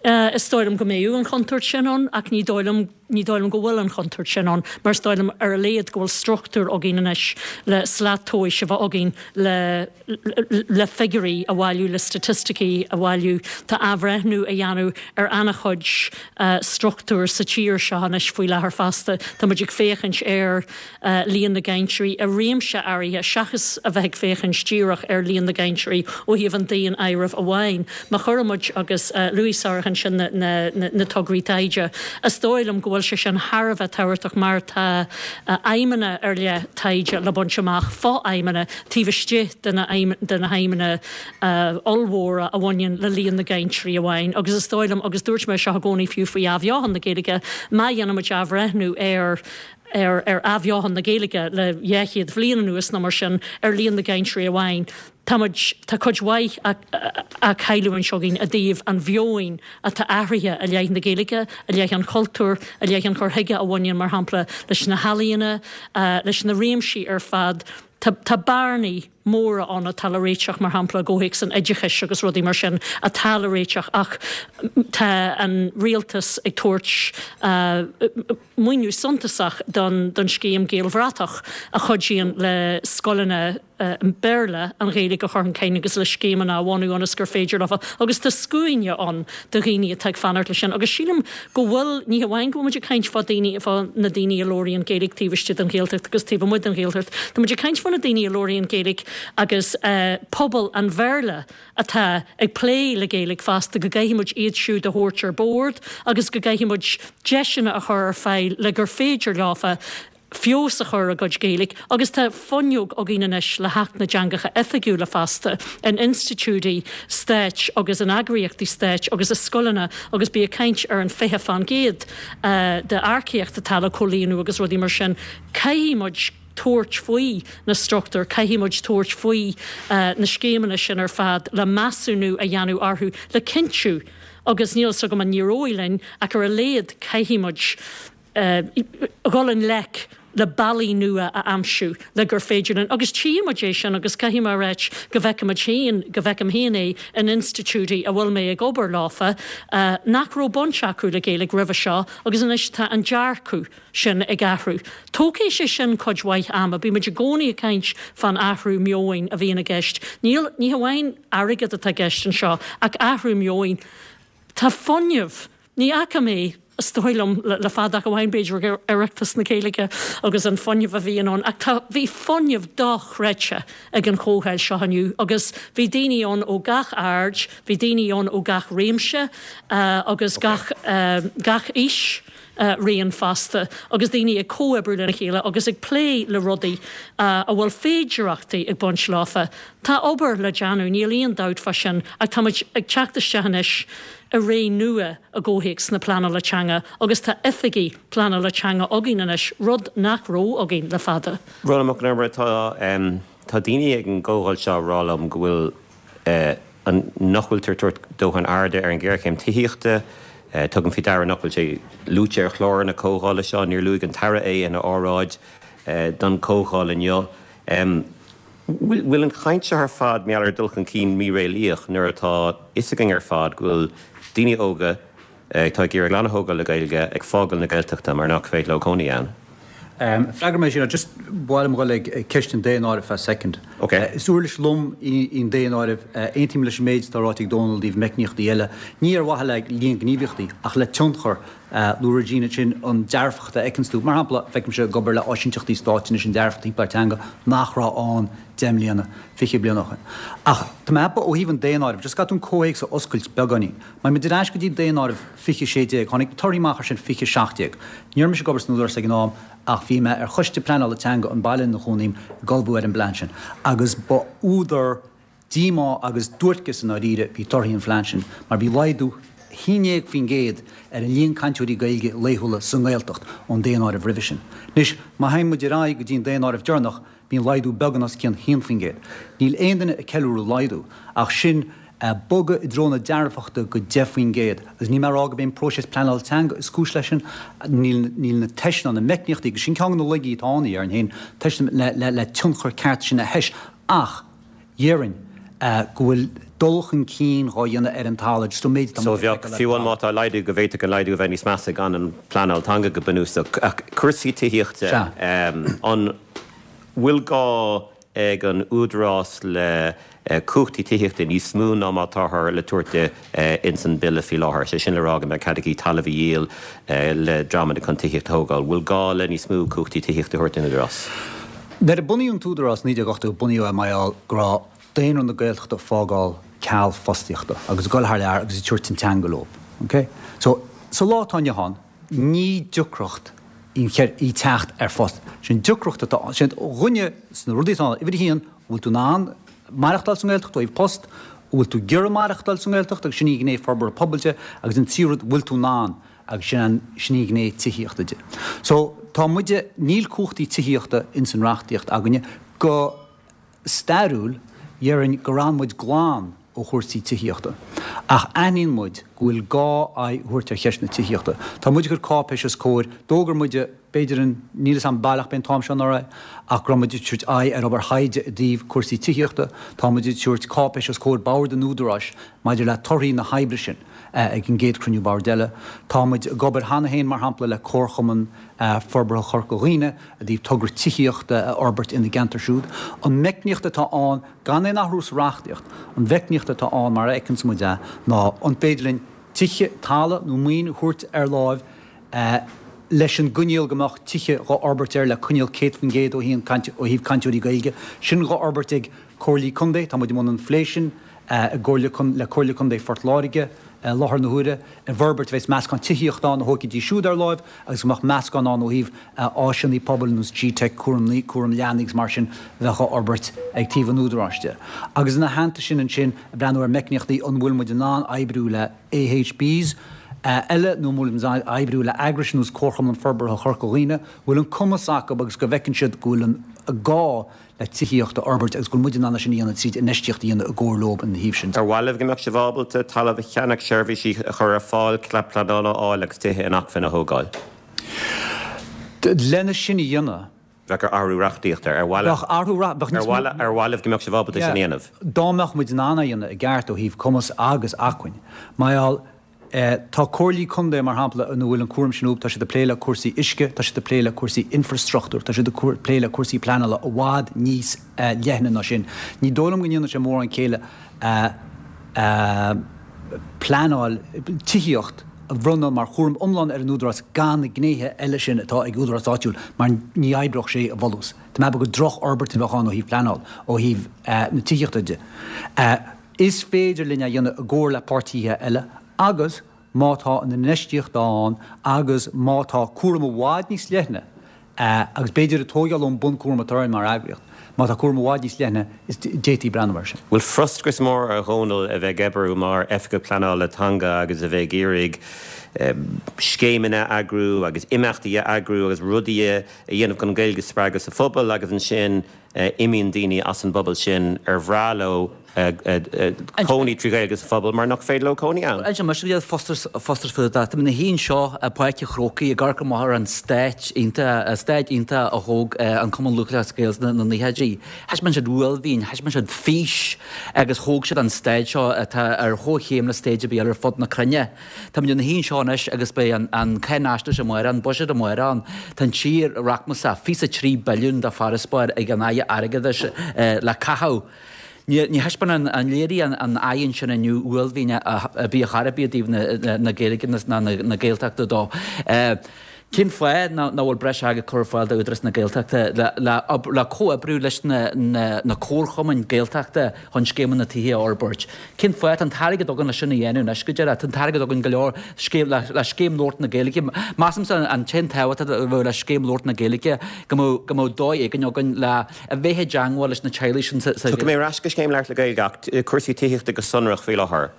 Is dóigh liom go mbeadh an chontúirt sin ann ach ní dóigh liom Ní dóigh liom go bhfuil an chontúirt sin ann mar is dóigh liom ar a laghad go bhfuil struchtúr againn anois le slat tomhais a bheith againn le le figiúirí a bhailiú, le staitisticí a bhailiú. Tá athbhreithniú á dhéanamh ar an-chuid struchtúr sa tír seo anois faoi láthair fosta. Tá muid ag féachaint ar líon na gcainteoirí i réimse áirithe seachas a bheith ag féachaint díreach ar líon na gcainteoirí ó thaobh an daonáirimh amháin. Má chuireann muid, agus luaigh Sarah ansin na tograí taighde, is dóigh liom go bhfuil sé sin thar a bheith tábhachtach mar tá aidhmeanna ar leith taighde le baint amach, fo-aidhmeanna taobh istigh de na haidhmeanna ollmhóra a bhaineann le líon na gcainteoirí amháin. Agus is dóigh liom, agus dúirt mé seo i gcónaí fiú faoi athbheochan na Gaeilge, má dhéanaimid athbhreithniú ar. ar ar athbheochan na Gaeilge le 200 bhliain anuas nó mar sin ar líon na gcainteoirí amháin. Tá muid, tá cuid mhaith á cailliúint againn i dtaobh an mheoin atá athraithe i leith na Gaeilge, i leith an chultúir, i leith an chur chuige a bhaineann, mar shampla, leis na healaíona, leis na réimsí ar fad. Tá, tá bearnaí móra ann atá le réiteach, mar shampla, i gcomhthéacs an oideachais agus rudaí mar sin atá le réiteach ach tá an rialtas ag tabhairt maoiniú suntasach don don scéim Gaelbhratach a chuidíonn le scoileanna Béarla an Ghaeilge a chur chun cinn agus le scéimeanna a bhunú ionas gur féidir leo agus tá scuaine ann de dhaoine atá ag fanacht leis sin agus sílim go bhfuil, ní hamháin go bhfuil muid ag caint fá daoine, fá na daoine a labhraíonn Gaeilge taobh istigh den Ghaeltacht agus taobh amuigh den Ghaeltacht, tá muid ag caint fá na daoine a labhraíonn Gaeilge agus pobal an Bhéarla atá ag plé le Gaeilge fosta, go gcaithfidh muid iad siúd a thabhairt ar bord agus go gcaithfidh muid deiseanna a chur ar fáil le gur féidir leofa feabhas a chur ar a gcuid Gaeilge agus tá fuinneog againn anois le hAcht na dTeangacha Oifigiúla fosta in institiúidí stáit agus in eagraíochtaí stáit agus i scoileanna agus bí ag caint ar an 20 fán gcéad d'earcaíocht atá le comhlíonadh agus rudaí mar sin. Caithfidh muid tabhairt faoi na struchtúir, caithfidh muid tabhairt faoi na scéimeanna sin ar fad le measúnú a dhéanamh orthu le cinntiú agus níl 'fhios agam an n-éireoidh linn ach ar a laghad caithfidh muid dhul i ngleic le bealaí nua a aimsiú le gur féidir linn, agus tchíonn muid é sin agus caithfidh mé a ráit go bhfeicimid féin, go bhfeicim féin é in institiúidí a bhfuil mé ag obair leofa, nach raibh baint acu le Gaeilge roimhe seo agus anois tá an dearcadh sin ag athrú. Tógfaidh sé sin cuid mhaith ama. Bímid i gcónaí ag caint fán athrú meoin a bhíonn i gceist. Níl, ní hamháin airgead atá i gceist anseo ach athrú meoin. Tá fuinneamh. Ní fhaca mé, is dóigh liom, le fada ach amháin b'fhéidir ag Oireachtas na Gaeilge agus an fuinneamh a bhíonn ann ach tá, bhí fuinneamh dochreidte ag an chomhdháil seo inniu agus bhí daoine ann ó gach aird, bhí daoine ann ó gach réimse agus gach, gach aois raon fosta agus daoine ag comhoibriú lena chéile agus ag plé le rudaí a bhfuil féidireachtaí ag baint leofa. Tá obair le déanamh, níl aon dabht fá sin ach táimid ag teacht isteach anois i ré nua i gcomhthéacs na pleanála teanga agus tá oifigigh pleanála teanga againn anois, rud nach raibh againn le fada. Rónán Mac Con Iomaire, Tá, tá daoine ag an gcomhdháil seo ag rá liom go bhfuil an, nach bhfuiltear ag tabhairt dóthain airde ar an ghéarchéim tithíochta. Tugaim faoi deara nach bhfuil sé luaite ar chlár na comhdhála seo, níor luaigh an tAire é ina óráid don chomhdháil inniu. Bhfuil an chaint seo ar fad mar gheall ar dul chun cinn míréalaíoch nuair atá fhios againn ar fad go bhfuil daoine óga atá ag iarraidh clann a thógáil le Gaeilge ag fágáil na Gaeltachta mar nach féidir leo cónaí ann? Freagróidh mé sin, just ba mhaith liom dhul ag ceist an daonáirimh feadh soicind. Is uirlis lom í an daonáireamh. Aontaím leis an méid atá ráite ag Dónal i dtaobh meicníochtaí eile, ní ar mhaithe le líon gníomhaíochtaí ach le tionchar. Luaigh Regina ansin an dearfacht a fheiceanns tú. Mar shampla, feicimse ag obair le áisínteachtaí stáit anois an dearfacht timpeall ar teanga nach raibh ann 10 mbliana, 20 bliain ó shin. Ach tá mé ag ceapadh ó thaobh an daonáirimh, just caithfidh tú an comhthéacs a oscailt beagáinín. Má théimid ar ais go dtí daonáireamh 2016, tháinig na torthaí amach ar sin 2017. Ní raibh mise ag obair san Údarás ag an am ach bhí mé ar choiste pleanála teanga an baile ina chónaím ag ullmhú ar an bplean sin agus ba údar Díomá agus duairceas i ndáiríre bhí torthaí an phlean sin mar bhí laghdú 11% ar an líon cainteoirí Gaeilge laethúla sa nGaeltacht ón daonáireamh roimhe sin. Anois, má théann muid ar aghaidh go dtí an daonáireamh deireanach, bhí an laghdú beagán os cionn 1%. Níl aon duine ag ceiliúradh laghdú, ach sin bogadh i dtreo na dearfachta go 10% agus níl mé ag rá gurb é an próiseas pleanála teanga is cúis leis sin, níl na teist ná na meicníochtaí, agus sin ceann de na laigí atá ann, a déarfainn féin, teist le tionchar ceart sin a thomhas ach, Dhéarfainn go bhfuil dul chun cinn dhá dhéanamh ar an talamh, just an méid atá So bheadh, fiú amháin má tá laghdú, go bhféadfadh an laghdú a bheith níos measa gan an pleanáil teanga go bunúsach. Ach cúrsaí tithíochta, an bhfuil gá ag an Údarás le cumhachtaí tithíochta níos mó ná mar atáthar le tabhairt di ins an Bille faoi láthair? Sé sin le rá go mbeidh cead aici talamh a dhíol le dreamanna chun tithíocht a thógáil. Bhfuil gá le níos mó cumhachtaí tithíochta a thabhairt don Údarás? Nuair a bunaíodh an tÚdarás i 1980 bunaíodh é mar gheall go raibh daonra na Gaeltachta ag fágáil ceal fostaíochta agus ag dul thar lear agus ag tabhairt an teanga leo. Ok? So, sa lá atá inniu ann, ní deacracht í í teacht ar phost. Sin deacracht atá ann. Sin dhuine sna rudaí atá ann, uimhir a haon, an bhfuil tú in ann maireachtáil sa nGaeltacht ó thaobh post, an bhfuil tú ag iarraidh maireachtáil sa nGaeltacht agus sin í gné forbartha pobail de agus an tríú rud, an bhfuil tú in ann. Agus sin an, sin í an ghné tithíochta de. So, tá muide, níl cumhachtaí tithíochta ins an reachtaíocht againne. Go stairiúil, dhéarfainn gur fhan muid glan ó chúrsaí tithíochta. Ach aithníonn muid go bhfuil gá aghaidh a thabhairt ar cheist na tithíochta. Tá muid ag cur cáipéis os comhair, d'fhógair muide, b'fhéidir an, níl 'fhios a'm baileach b'é an t-am seo anuraidh, ach go raibh muid ag tabhairt aghaidh ar obair thaighde i dtaobh cúrsaí tithíochta. Tá muid ag tabhairt cáipéis os comhair Bhord an Údaráis maidir le torthaí na hoibre sin. ag an gcéad chruinniú boird eile. Tá muid ag obair cheana féin, mar shampla, le Comharchumann Forbartha Chorca Dhuibhne i dtaobh togra tithíochta a fhorbairt ina gceantar siúd. An meicníocht atá ann, gan aon athrú sa reachtaíocht, an mheicníocht atá ann mar a fheiceanns muid é ná an féidir linn tithe, talamh nó maoin a thabhairt ar láimh leis an gcoinníoll go mbeadh tithe dhá fhorbairt air le coinníoll 100% ó thaobh cainteoirí Gaeilge. Sin dhá fhorbairt ag Comhairlí Contae, tá muid i mbun an phlé sin. i gcomhairle le Comhairle Contae Phort Láirge i láthair na huaire, i bhforbairt bheas meascán tithíochta ann a thógfaidís siúd ar láimh agus go mbeadh meascán ann ó thaobh áiseanna pobail ar nós GTeic, cúram cúram leanaí agus mar sin a bheadh á fhorbairt ag taobh an Údaráis de. Agus ina theannta sin ansin ag breathnú ar meicníochtaí an bhfuil muid in ann oibriú le AHBs eile nó an bhfuil muid in ann oibriú le eagrais ar nós Comharchumann Forbartha Chorca Dhuibhne, bhfuil an cumas acu agus go bhfeiceann siad go bhfuil an gá le tithíocht a fhorbairt agus go bhfuil muid in ann é sin a dhéanamh tríd infheistíocht a dhéanamh i gcomhar leo ina thaobh sin de. Ar mhaith libh go mbeadh sibh ábalta talamh a cheannach, seirbhísí a chur ar fáil, cead pleanála a fháil agus tithe inacmhainne a thógáil? Lena sin a dhéanamh. Bheadh ar athrú reachtaíochta. Ar mhaith Bheadh athrú reach, bheadh níos mó. Ar mhaith libh go mbeadh sibh ábalta sin a dhéanamh? Dá mbeadh muid in ann é a dhéanamh i gceart ó thaobh cumas agus acmhainn. Mar gheall. Tá comhairlí contae, mar shampla, ina bhfuil an cúram sin uathu, tá siad ag plé le cúrsaí uisce, tá siad ag plé le cúrsaí infreastruchtúir, tá siad ag plé le cúrsaí pleanála i bhfad níos leithne ná sin. Ní dóigh liom go ndéanann sé mórán céille pleanáil tithíocht a bhronnadh mar chúram iomlán ar an údarás gan na gnéithe eile sin atá ag údarás áitiúil mar ní oibreodh sé i bhfolús. Tá mé ag ceapadh gur drochfhorbairt a bheadh ann ó thaobh pleanáil, ó thaobh na tithíochta de. Is féidir linn é a dhéanamh i gcomhar le páirtithe eile agus má tá an infheistíocht ann agus má tá cúram i bhfad níos leithne agus b'fhéidir ag tógáil ón bunchúram atá orainn mar eagraíocht, má tá cúram i bhfad níos leithne is d'fhéadfaí breathnú air sin. Bhfuil frustrachas mór ar Dhónal a bheith ag oibriú mar Oifigeach Pleanála Teanga agus a bheith ag iarraidh scéimeanna a eagrú agus imeachtaí a eagrú agus rudaí a dhéanamh chun an Ghaeilge a spreagadh sa phobal agus ansin imíonn daoine as an bpobal sin ar bhreá leo cónaí trí Ghaeilge sa phobal mar nach féidir leo cónaí ann. Inseoidh mise scéal frustrachas faoi Tá mé ina shuí anseo i bPáirc an Chrócaigh ag amharc amach ar an staid iontach, an staid iontach a thóg an Cumann Lúthchleas Gael sna naochaidí. Thaispeáin siad uaillmhian, thaispeáin siad fís agus thóg siad an staid seo atá ar chomhchéim le staid ar bith eile ar fud na cruinne. Táimid ina shuí anseo anois agus beidh an cháinaisnéis amárach, an buiséad amárach ann. Tá an tír rachmasach, 23 billiún de farasbarr ag an Aire Airgeadais le caitheamh. Ní thaispeánann an léirigh an fhaigheann sin inniu uaillmhian ar bith chor ar bith i dtaobh na Gaeilge ná na Gaeltachta dó. Cén fáth nach bhfuil breis airgid curtha ar fáil d'Údarás na Gaeltachta le comhoibriú leis na comharchumainn Gaeltachta chun scéimeanna tithe a fhorbairt? Cén fáth? Tá an t-airgead againn le sin a dhéanamh anois go deireadh. Tá an t-airgead againn go leor le scéim labhairt na Gaeilge. Measaimse an t-aon tábhacht a bheadh le scéim labhairt na Gaeilge go mbeadh dóigh éigin againn le a bheith i dteangmháil leis na teaghlaigh sin sa. Tiocfaidh mé ar ais go scéim labhairt na Gaeilge ach cúrsaí tithíochta go sonrach faoi láthair.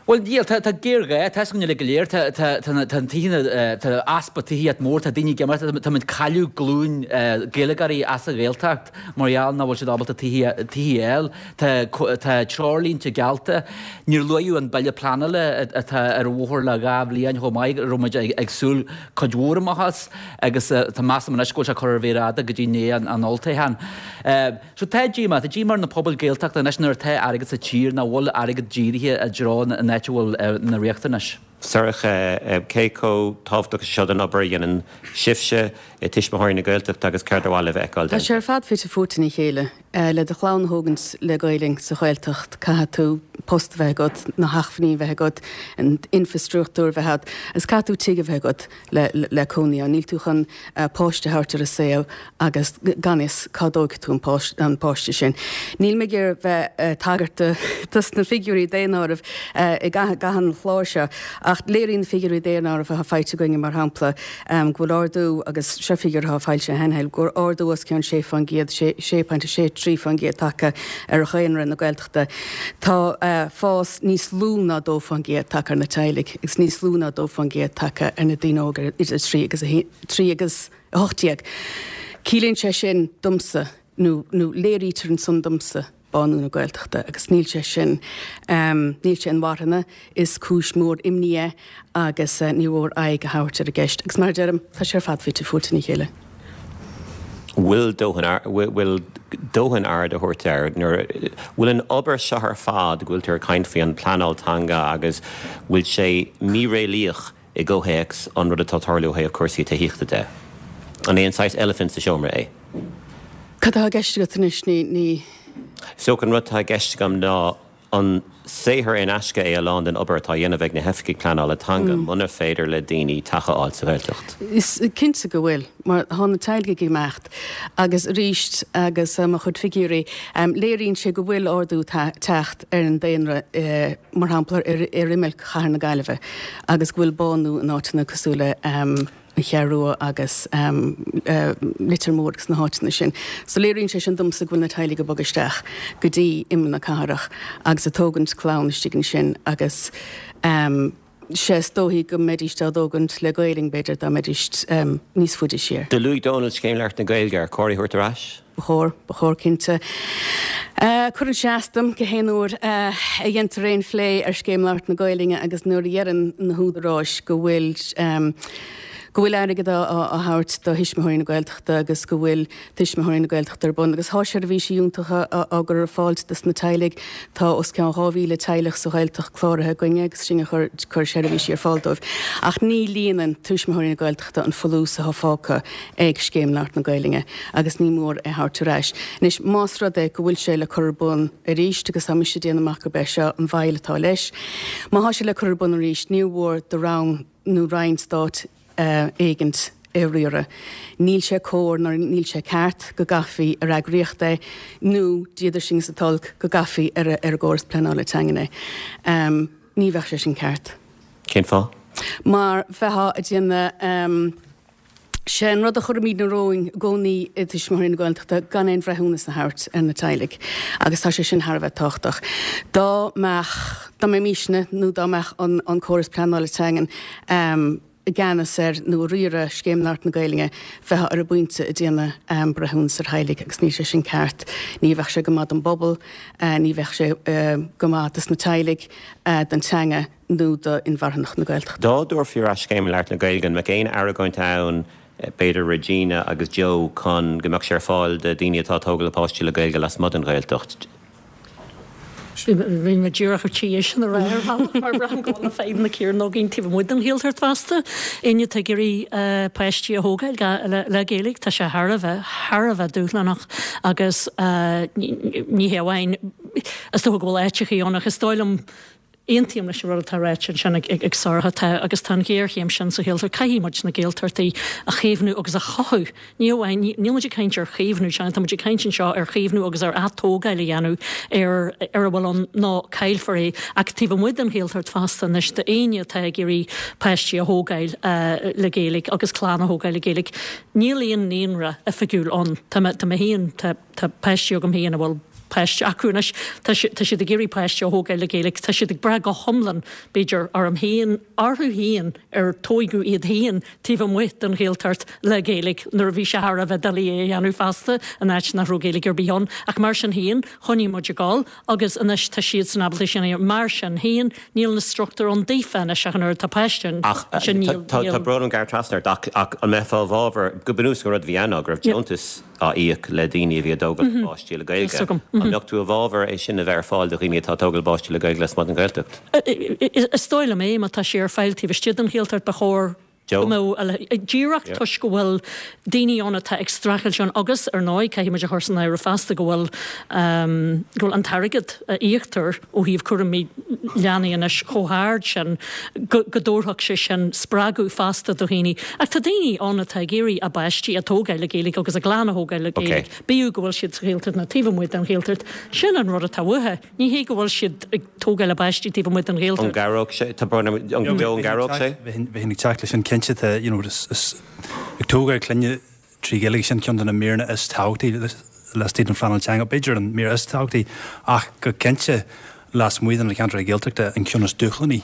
Bhuel, níl, tá, tá géarghá, tá 'fhios againn uilig go léir, tá, tá, tá na, tá na tithe, tá easpa tithíocht mór, tá daoine ag imeacht, tá, táimid ag cailleadh glúin Gaeilgeoirí as an Ghaeltacht mar gheall nach bhfuil siad ábalta tithe, tithe a fháil. Tá, tá treoirlínte geallta. Níor luaíodh an bille pleanála atá ar an bhóthar le 2 bhliain chomh maith, a raibh muid ag, ag súil cuid mhór amach as agus tá, measaim anois go bhfuil sé curtha ar mhéar fhada go dtí i ndiaidh an, an olltoghcháin. So tá díomá, tá díomá ar na pobail Gaeltachta anois nuair atá airgead sa tír nach bhfuil airgead dírithe i dtreo an áit a bhfuil na riachtanais. Sorcha, cé chomh tábhachtach is seo don obair a dhéanann sibhse i Tuismitheoirí na Gaeltachta agus céard ar mhaith libh a fheiceáil Tá sé déanta? ar fad fite fuaite ina chéile. Le do chlann a thógaint le Gaelainn sa Ghaeltacht, caithfidh tú post a bheith agat, na hacmhainní a bheith agat, an infreastruchtúr a bheith agat agus caithfidh tú tigh a bheith agat le cónaí ann. Níl tú chun páiste a thabhairt ar an saol agus gan fhios cá dtógfaidh tú an páiste sin. Níl mé ag iarraidh bheith ag tagairt dos na figiúirí daonáirimh i gcaitheamh an chláir seo ach. Ach léiríonn na figiúirí daonáirimh atá faighte againne, mar shampla, go bhfuil ardú, agus seo figiúr atá foilsithe cheana, go bhfuil ardú os cionn 6%, 6.63% tagtha ar dhaonra na Gaeltachta. Tá fás níos lú ná 2% tagtha ar na teaghlaigh agus níos lú ná 2% tagtha ar na daoine óga idir 3 agus 3 agus 18. Ciallaíonn sé sin domsa, nó léirítear ansan domsa, bánú na Gaeltachta agus níl sé sin, níl sé inmharthana, is cúis mhór imní é agus ní mhór aghaidh a thabhairt ar an gceist agus mar a deirim, tá sé ar fad fite fuaite ina chéile. bhfuil dóthain, bhfuil dóthain aird á thabhairt air nuair, bhfuil an obair seo ar fad go bhfuil tú ag caint faoi an pleanáil teanga agus bhfuil sé míréalaíoch i gcomhthéacs an rud atá ag tarlú ó thaobh cúrsaí tithíochta de? An é an saghas eilifint sa seomra é? Cad atá i gceist agat anois? Ní, ní. Is dócha an rud atá i gceist agam ná an saothar in aisce é a lán den obair atá á dhéanamh ag na hoifigigh pleanála teanga muna féidir le daoine teach a fháil sa Ghaeltacht? Is cinnte go bhfuil, mar tá na teaghlaigh ag imeacht agus arís agus mo chuid figiúirí, léiríonn sé go bhfuil ardú teacht ar an daonra mar shampla ar imeall chathair na Gaillimhe agus go bhfuil bánú in áiteanna cosúil le an Cheathrú Rua agus Leitir Móir agus na háiteanna sin. So léiríonn sé sin domsa go bhfuil na teaghlaigh ag bogadh isteach go dtí imeall na cathrach agus ag tógaint clann istigh ansin agus sé is dóichí go mbeidíst á dtógaint le Gaelainn b'fhéidir dá mbeidíst níos faide siar. Do luaigh Dónal Scéim Labhairt na Gaeilge, ar chóir í a thabhairt ar ais? Ba chóir, ba chóir cinnte. Cuireann sé as dom gach aon uair a dhéantar aon phlé ar Scéim Labhairt na Gaelainne agus nuair a dheireann na húdaráis go bhfuil go bhfuil airgead á thabhairt do Thuismitheoirí na Gaeltachta agus go bhfuil Tuismitheoirí na Gaeltachta ar bun agus tá seirbhísí iontacha á gcur ar fáil dos na teaghlaigh. Tá os cionn 2,000 teaghlach sa Ghaeltacht cláraithe againne agus sinn ag cur seirbhísí ar fáil dóibh. Ach ní líonann Tuismitheoirí na Gaeltachta an folús atá fágtha ag Scéim Labhairt na Gaelainne agus ní mór é a thabhairt ar ais. Anois, más rud é go bhfuil sé le cur ar bun arís, agus tá mise ag déanamh amach gurb é seo an mhoill atá leis, má thá sé le cur ar bun arís, níor mhór do rang nó roinn stáit éigint é a riaradh. Níl sé cóir ná níl sé ceart go gcaithfí ar eagraíocht é nó, Dia duit sin is an t-olc, go gcaithfí ar an gcóras pleanála teangan é. Ní bheadh sé sin ceart. Cén fáth? Mar bheifeá ag déanamh. Sé an rud a chuirimidne romhainn i gcónaí i dTuismitheoirí na Gaeltachta gan aon bhreithiúnas a thabhairt ar na teaghlaigh agus tá sé sin thar a bheith tábhachtach. Dá mbeadh, dá mbeimísne nó dá mbeadh an an córas pleanála teangan i gceannas ar nó ag riaradh Scéim Labhairt na Gaelainne, bheifeá ar an bpointe ag déanamh breithiúnas ar theaghlaigh agus níl sé sin ceart. Ní bheadh sé go maith don bpobal, ní bheadh sé go maith dos na teaghlaigh, don teanga. nó do inmharthanacht na Gaeltachta. Dá dtabharfaí ar ais Scéim Labhairt na Gaeilge, an mbeadh aon argóint ann, b'fhéidir Regina agus Joe, chun go mbeadh sé ar fáil do dhaoine atá ag tógáil a bpáistí le Gaeilge lasmuigh den Ghaeltacht? Bhí mé díreach ar tí é sin a rá ar bhealach mar braithim go bhfuil na fadhbanna céanna againn taobh amuigh den Ghaeltacht fosta. Éinne atá ag iarraidh páistí a thógáil le Gaeilge, tá sé thar a bheith, thar a bheith dúshlánach agus ní hé amháin, is dócha go bhfuil áiteachaí ann ach is dóigh liom, Aontaím leis an rud atá ráite ansin ag Sorcha. Tá, agus tá an ghéarchéim sin sa Ghaeltacht. Caithfidh muid na Gaeltachtaí a chaomhnú agus a chothú. Ní amháin, níl muid ag caint ar chaomhnú teanga, tá muid ag caint anseo ar chaomhnú agus ar atógáil a dhéanamh ar ar a bhfuil ann nó caillfear é. Ach taobh amuigh den Ghaeltacht fosta anois, d'éinne atá ag iarraidh páistí a thógáil le Gaeilge agus clann a thógáil le Gaeilge, níl aon naíonra oifigiúil ann. Tá mé, tá mé féin, tá. Tá páistí agam féin a bhfuil páiste acu anois. Tá tá siad ag iarraidh páiste a thógáil le Gaeilge. Tá siad ag brath go hiomlán, b'fhéidir, orm féin, orthu féin, ar tóigeadh iad féin taobh amuigh den Ghaeltacht le Gaeilge nuair a bhí sé thar a bheith doiligh é a dhéanamh feasta in áit nach raibh Gaeilge ar bith ann. Ach mar sin féin, choinnigh muid ag dul agus anois tá siadsan ábalta sin a dhéanamh. Mar sin féin, níl na struchtúir ann daofa anois ach an oiread tá páiste Ach ansin, níl, tá níl. brón orm gearradh trasna ort ach ach an mbeifeá i bhfabhar, go bunúsach an rud a bhí ann ná go raibh deontas, á íoc le daoine a bhí ag tógáil a bpáistí le Gaeilge. An mbeadh tú i bhfabhar é sin a bheith ar fáil do dhaoine atá ag tógáil a bpáistí le Gaeilge lasmuigh den Ghaeltacht? Is dóigh liom é, má tá sé ar fáil taobh istigh den Ghaeltacht, ba chóir. Go mbeadh, díreach toisc go bhfuil daoine ann atá ag streachailt ann agus, ar ndóigh, caithfidh muid a chur san áireamh feasta go bhfuil, go bhfuil an t-airgead a íoctar ó thaobh cúraimí leanaí anois chomh hard sin go, go dtabharfadh sé sin spreagadh feasta do dhaoine. Ach tá daoine ann atá ag iarraidh a bpáistí a tógáil le Gaeilge agus a gclann a thógáil le Gaeilge, bíodh go bhfuil siad sa Ghaeltacht nó taobh amuigh den Ghaeltacht. Sin an rud atá uathu. Ní hé go bhfuil siad ag tógáil a bpáistí taobh amuigh den Ghaeltacht. An gcabhródh sé? Tá brón orm, an Joe, an gcabhródh sé? Bheinn ag teacht leis sin cinnte. Tá, you know, is ag tógáil clainne trí Ghaeilge, sin ceann de na míreanna is tábhachtaí laistigh den phleanáil teanga. B'fhéidir an mír is tábhachtaí ach go cinnte lasmuigh de na ceantracha Gaeltachta an ceann is dúshlánaí.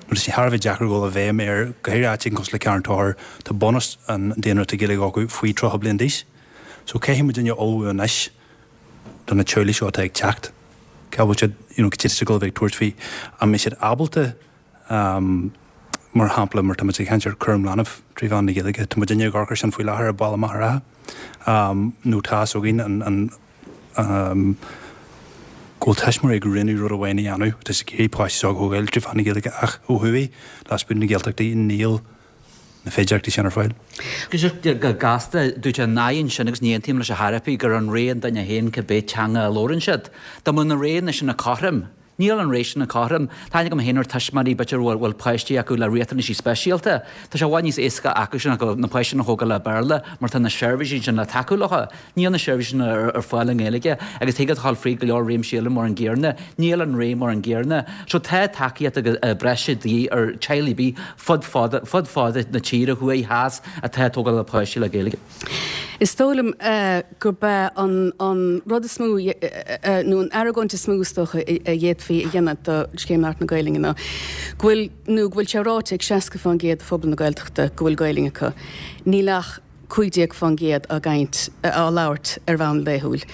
Nó tá sé thar a bheith deacair dul i bhfeidhm air, go háirithe áit éigin cosúil le Carn Tóchair, tá bunús an daonra atá Gaeilge acu faoi 30 bliain d'aois. So caithfidh muidinne ullmhú anois do na teaghlaigh seo atá ag teacht, cá bhfuil siad, you know, cad iad ag dul a bheith ag tabhairt faoi, an mbeidh siad ábalta, mar shampla, mar tá muid ag caint ar cúram leanbh trí mheán na Gaeilge, tá muidinne ag amharc air sin faoi láthair i Baile Machaire Rátha, nó tá fhios againn an, an, go bhfuil tuismitheoirí ag roghnú rud amháin a dhéanamh, tá siad ag iarraidh páistí s'acu a thógáil trí mheán na Gaeilge ach ó thuaidh, lasmuigh de na Gaeltachtaí, níl. na féidearthachtaí sin ar fáil. Go gasta, dúirt an fhaigheann sin, agus ní aontaím leis ar chor ar bith, gur an rogha an duine féin cibé teanga a labhrann siad. Dá mbeadh na roghanna sin cothrom, níl an rogha sin cothrom. Tá aithne agam féin ar tuismitheoirí b'fhéidir a bhfuil páistí acu le riachtanaisí speisialta. Tá sé i bhfad níos éasca acu sin na páistí sin a thógáil le Béarla mar tá na seirbhísí sin le tacú leo. Níl na seirbhísí sin ar fáil i nGaeilge agus thig leat a dhul fríd go leor réimsí eile mar an gcéanna. Níl an rogha mar an gcéanna. So tá tacaíocht breise de dhíth ar teaghlaigh ar bith fud fad fud fad na tíre, thuaidh, theas, atá ag tógáil a bpáistí le Gaeilge. Is dóigh liom gurb é an an rud is mó nó an argóint is mó is dócha a d'fhéadfaí a dhéanamh do Scéim Labhairt na Gaelainne ná go bhfuil nó go bhfuil sé ráite ag 60% de phobal na Gaeltachta go bhfuil Gaelainn acu. Níl ach 15% á gcaint, á labhairt ar bhonn laethúil.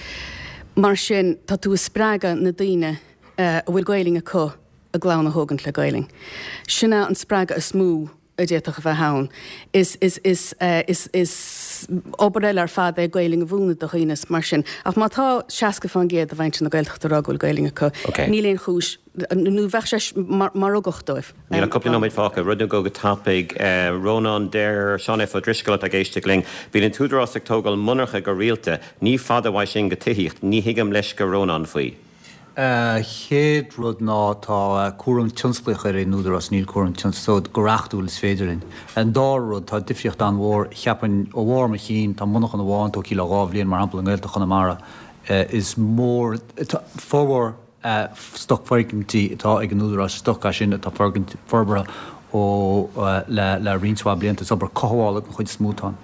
Mar sin, tá tú ag spreagadh na daoine a bhfuil Gaelainn acu a gclann a thógaint le Gaelainn. Sin é an spreagadh is mó a d'fhéadfadh a bheith ann. Is, is, is, is, is obair eile ar fad é Gaelainn a mhúineadh do dhaoine is mar sin. Ach má tá 60% de mhuintir na Gaeltachta ag rá go bhfuil Gaelainn acu, níl aon chúis, nó bheadh sé mar ugach dóibh. Níl ach cúpla nóiméad fágtha. Rud nó dhó go tapaidh. Rónán, deir Seán F. Ó Drisceoil atá ag éisteacht linn, Bíonn an tÚdarás ag tógáil monarcha go rialta. Ní fada uaidh sin go tithíocht. Ní thuigim leisce Rónáin faoi. Chéad rud ná tá cúram tionsclaíoch ar an Údarás, níl cúram tionsclaíoch, so go reachtúil is féidir linn. An dara rud, tá difríocht an-mhór, cheapfainn, ó bharr mo chinn, tá monarchan amháin tógtha le dhá bhliain, mar shampla, i nGaeltacht Chonamara. Is mór, formhór stoc foirgintí atá ag an Údarás, stoc é sin atá forbartha ó le roinnt mhaith blianta. Is obair cothabhála den chuid is mó atá ann.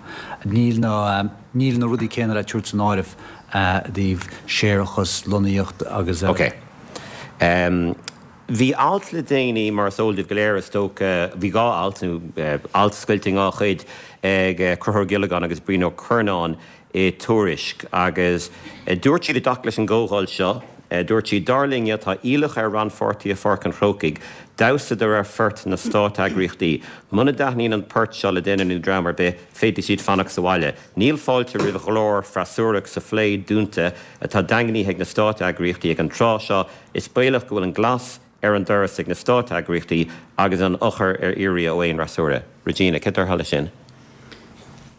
Níl na níl na rudaí céanna le tabhairt san áireamh i dtaobh séarachas, lonnaíocht agus eile. Ok. Bhí alt le déanaí, mar is eol daoibh go léir is dócha, bhí dhá alt, nó alt scoilte i ndhá chuid, ag Conchúr Ó Giollagáin agus Brian Ó Curnáin i Tuairisc agus dúirt siad i dtaca leis an gcomhdháil seo, dúirt siad, Dar linne, tá iallach ar rannpháirtithe Pháirc an Chrócaigh damhsa de réir phort na státeagraíochtaí. Muna dtaitníonn an port seo le duine nó dream ar bith, féadfaidh siad fanacht sa bhaile. Níl fáilte roimh ghlór freasúrach sa phlé dúnta atá daingnithe ag na státeagraíochtaí ag an tráth seo. Is baolach go bhfuil an glas ar an doras ag na státeagraíochtaí agus an eochair ar iarraidh ó aon fhreasúra. Regina, céard a déarfá leis sin?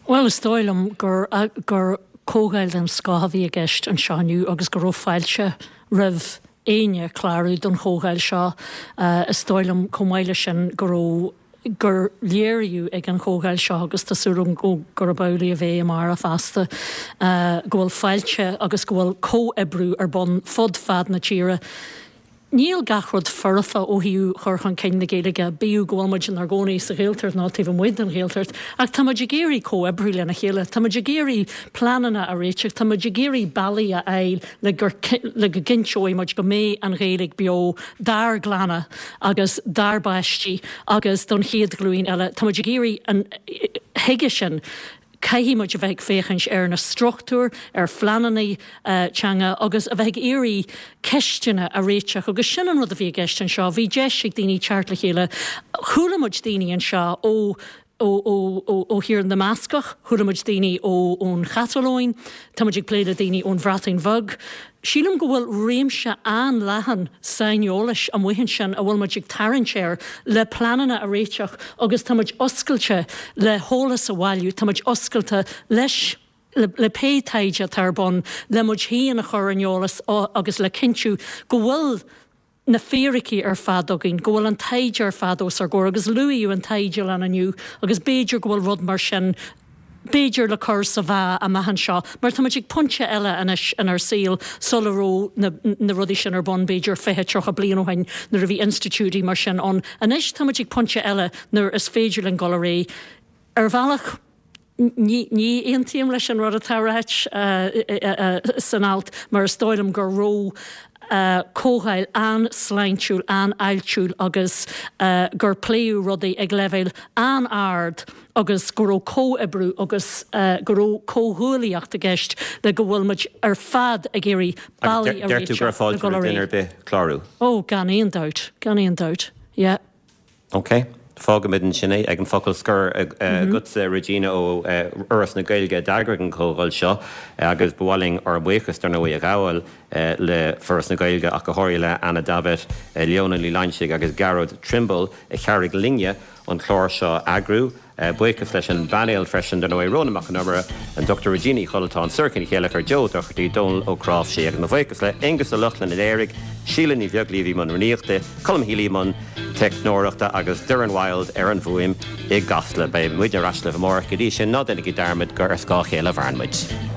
Bhuel, is dóigh liom gur gur comhdháil den scoth a bhí i gceist anseo inniu agus go raibh fáilte roimh éinne clárú don chomhdháil seo. Is dóigh liom chomh maith leis sin go raibh gur léiríodh ag an chomhdháil seo, agus tá súil agam gurb amhlaidh a bheidh amárach feasta, go bhfuil fáilte agus go bhfuil comhoibriú ar bun fud fad na tíre. Níl gach rud foirfe ó thaobh chur chun cinn na Gaeilge, bíodh go bhfuil muid inár gcónaí sa Ghaeltacht nó taobh amuigh den Ghaeltacht, ach tá muid ag iarraidh comhoibriú lena chéile, tá muid ag iarraidh pleananna a réiteach, tá muid ag iarraidh bealaí a fháil le gur le go gcinnteoidh muid go mbeidh an Ghaeilge beo dár gclanna agus dár bpáistí agus don chéad ghlúin eile. Tá muid ag iarraidh an chuige sin caithfidh muid a bheith ag féachaint ar na struchtúir, ar phleananna teanga agus a bheith ag iarraidh ceisteanna a réiteach agus sin an rud a bhí i gceist anseo. Bhí deis ag daoine teacht le chéile. Chuala muid daoine anseo ó. Ó Thír na mBascach, chuala muid daoine ón Chatalóin, tá muid ag plé le daoine ón Bhreatain Bheag. Sílim go bhfuil réimse an-leathan saineolais amuigh ansin a bhfuil muid ag tarraingt air le pleananna a réiteach agus tá muid oscailte le heolas a bhailiú, tá muid oscailte leis le pé taighde atá ar bun le muid féin a chur ar an eolas agus le cinntiú go bhfuil na fíricí ar fad againn, go bhfuil an taighde ar fad os ár gcomhair agus luaíodh an taighdelann inniu agus b'fhéidir go bhfuil rud mar sin b'fhéidir le cur sa mheá amach anseo mar tá muid ag pointe eile anois inár saol sula raibh na na rudaí sin ar bun b'fhéidir 20, 30 bliain ó shin nuair a bhí institiúidí mar sin ann. Anois tá muid ag pointe eile nuair is féidir linn dul ar aghaidh. Ar bhealach. Ní aontaím leis an rud atá ráite san alt mar is dóigh liom go raibh comhdháil an-sláintiúil, an-fháiltiúil agus gur pléadh rudaí ag leibhéal an-ard agus go raibh comhoibriú agus go raibh comhghuaillíocht i gceist le go bhfuil muid ar fad ag iarraidh bealaí a réiteach le dul ar aghaidh. Clárú? Ó, gan aon dabht, gan aon dabht, yeah. Ok. Fágfaimid ansin é ag an focal scoir agatsa, Regina, ó Fhoras na Gaeilge a d'eagraigh an chomhdháil seo agus ba mhaith linn ár mbuíochas, dar ndóigh, a ghabháil le Foras na Gaeilge ach go háirithe le Anna Davitt, Leona Ní Loingsigh agus Gearóid Trimble a chabhraigh linne an clár seo a eagrú. Buíochas leis an bpainéal freisin, dar ndóigh, Rónán Mac Con Iomaire, an Dr Regina Uí Chonaltáin, Sorcha Ní Chéilleachair, Joe Doherty, Dónal Ó Cnáimhsí agus mo bhuíochas le Aonghus Ó Lochlainn a léirigh, Síle Ní Bheaglaoí a bhí i mbun rúnaíochta, Colm Healy i mbun teicneoireachta agus Doireann Wilde ar an bhfuaim i gCasla. Beidh muidne ar ais libh amárach. Go dtí sin, ná déanaigí dearmad gur ar scáth a chéile a mhaireann muid.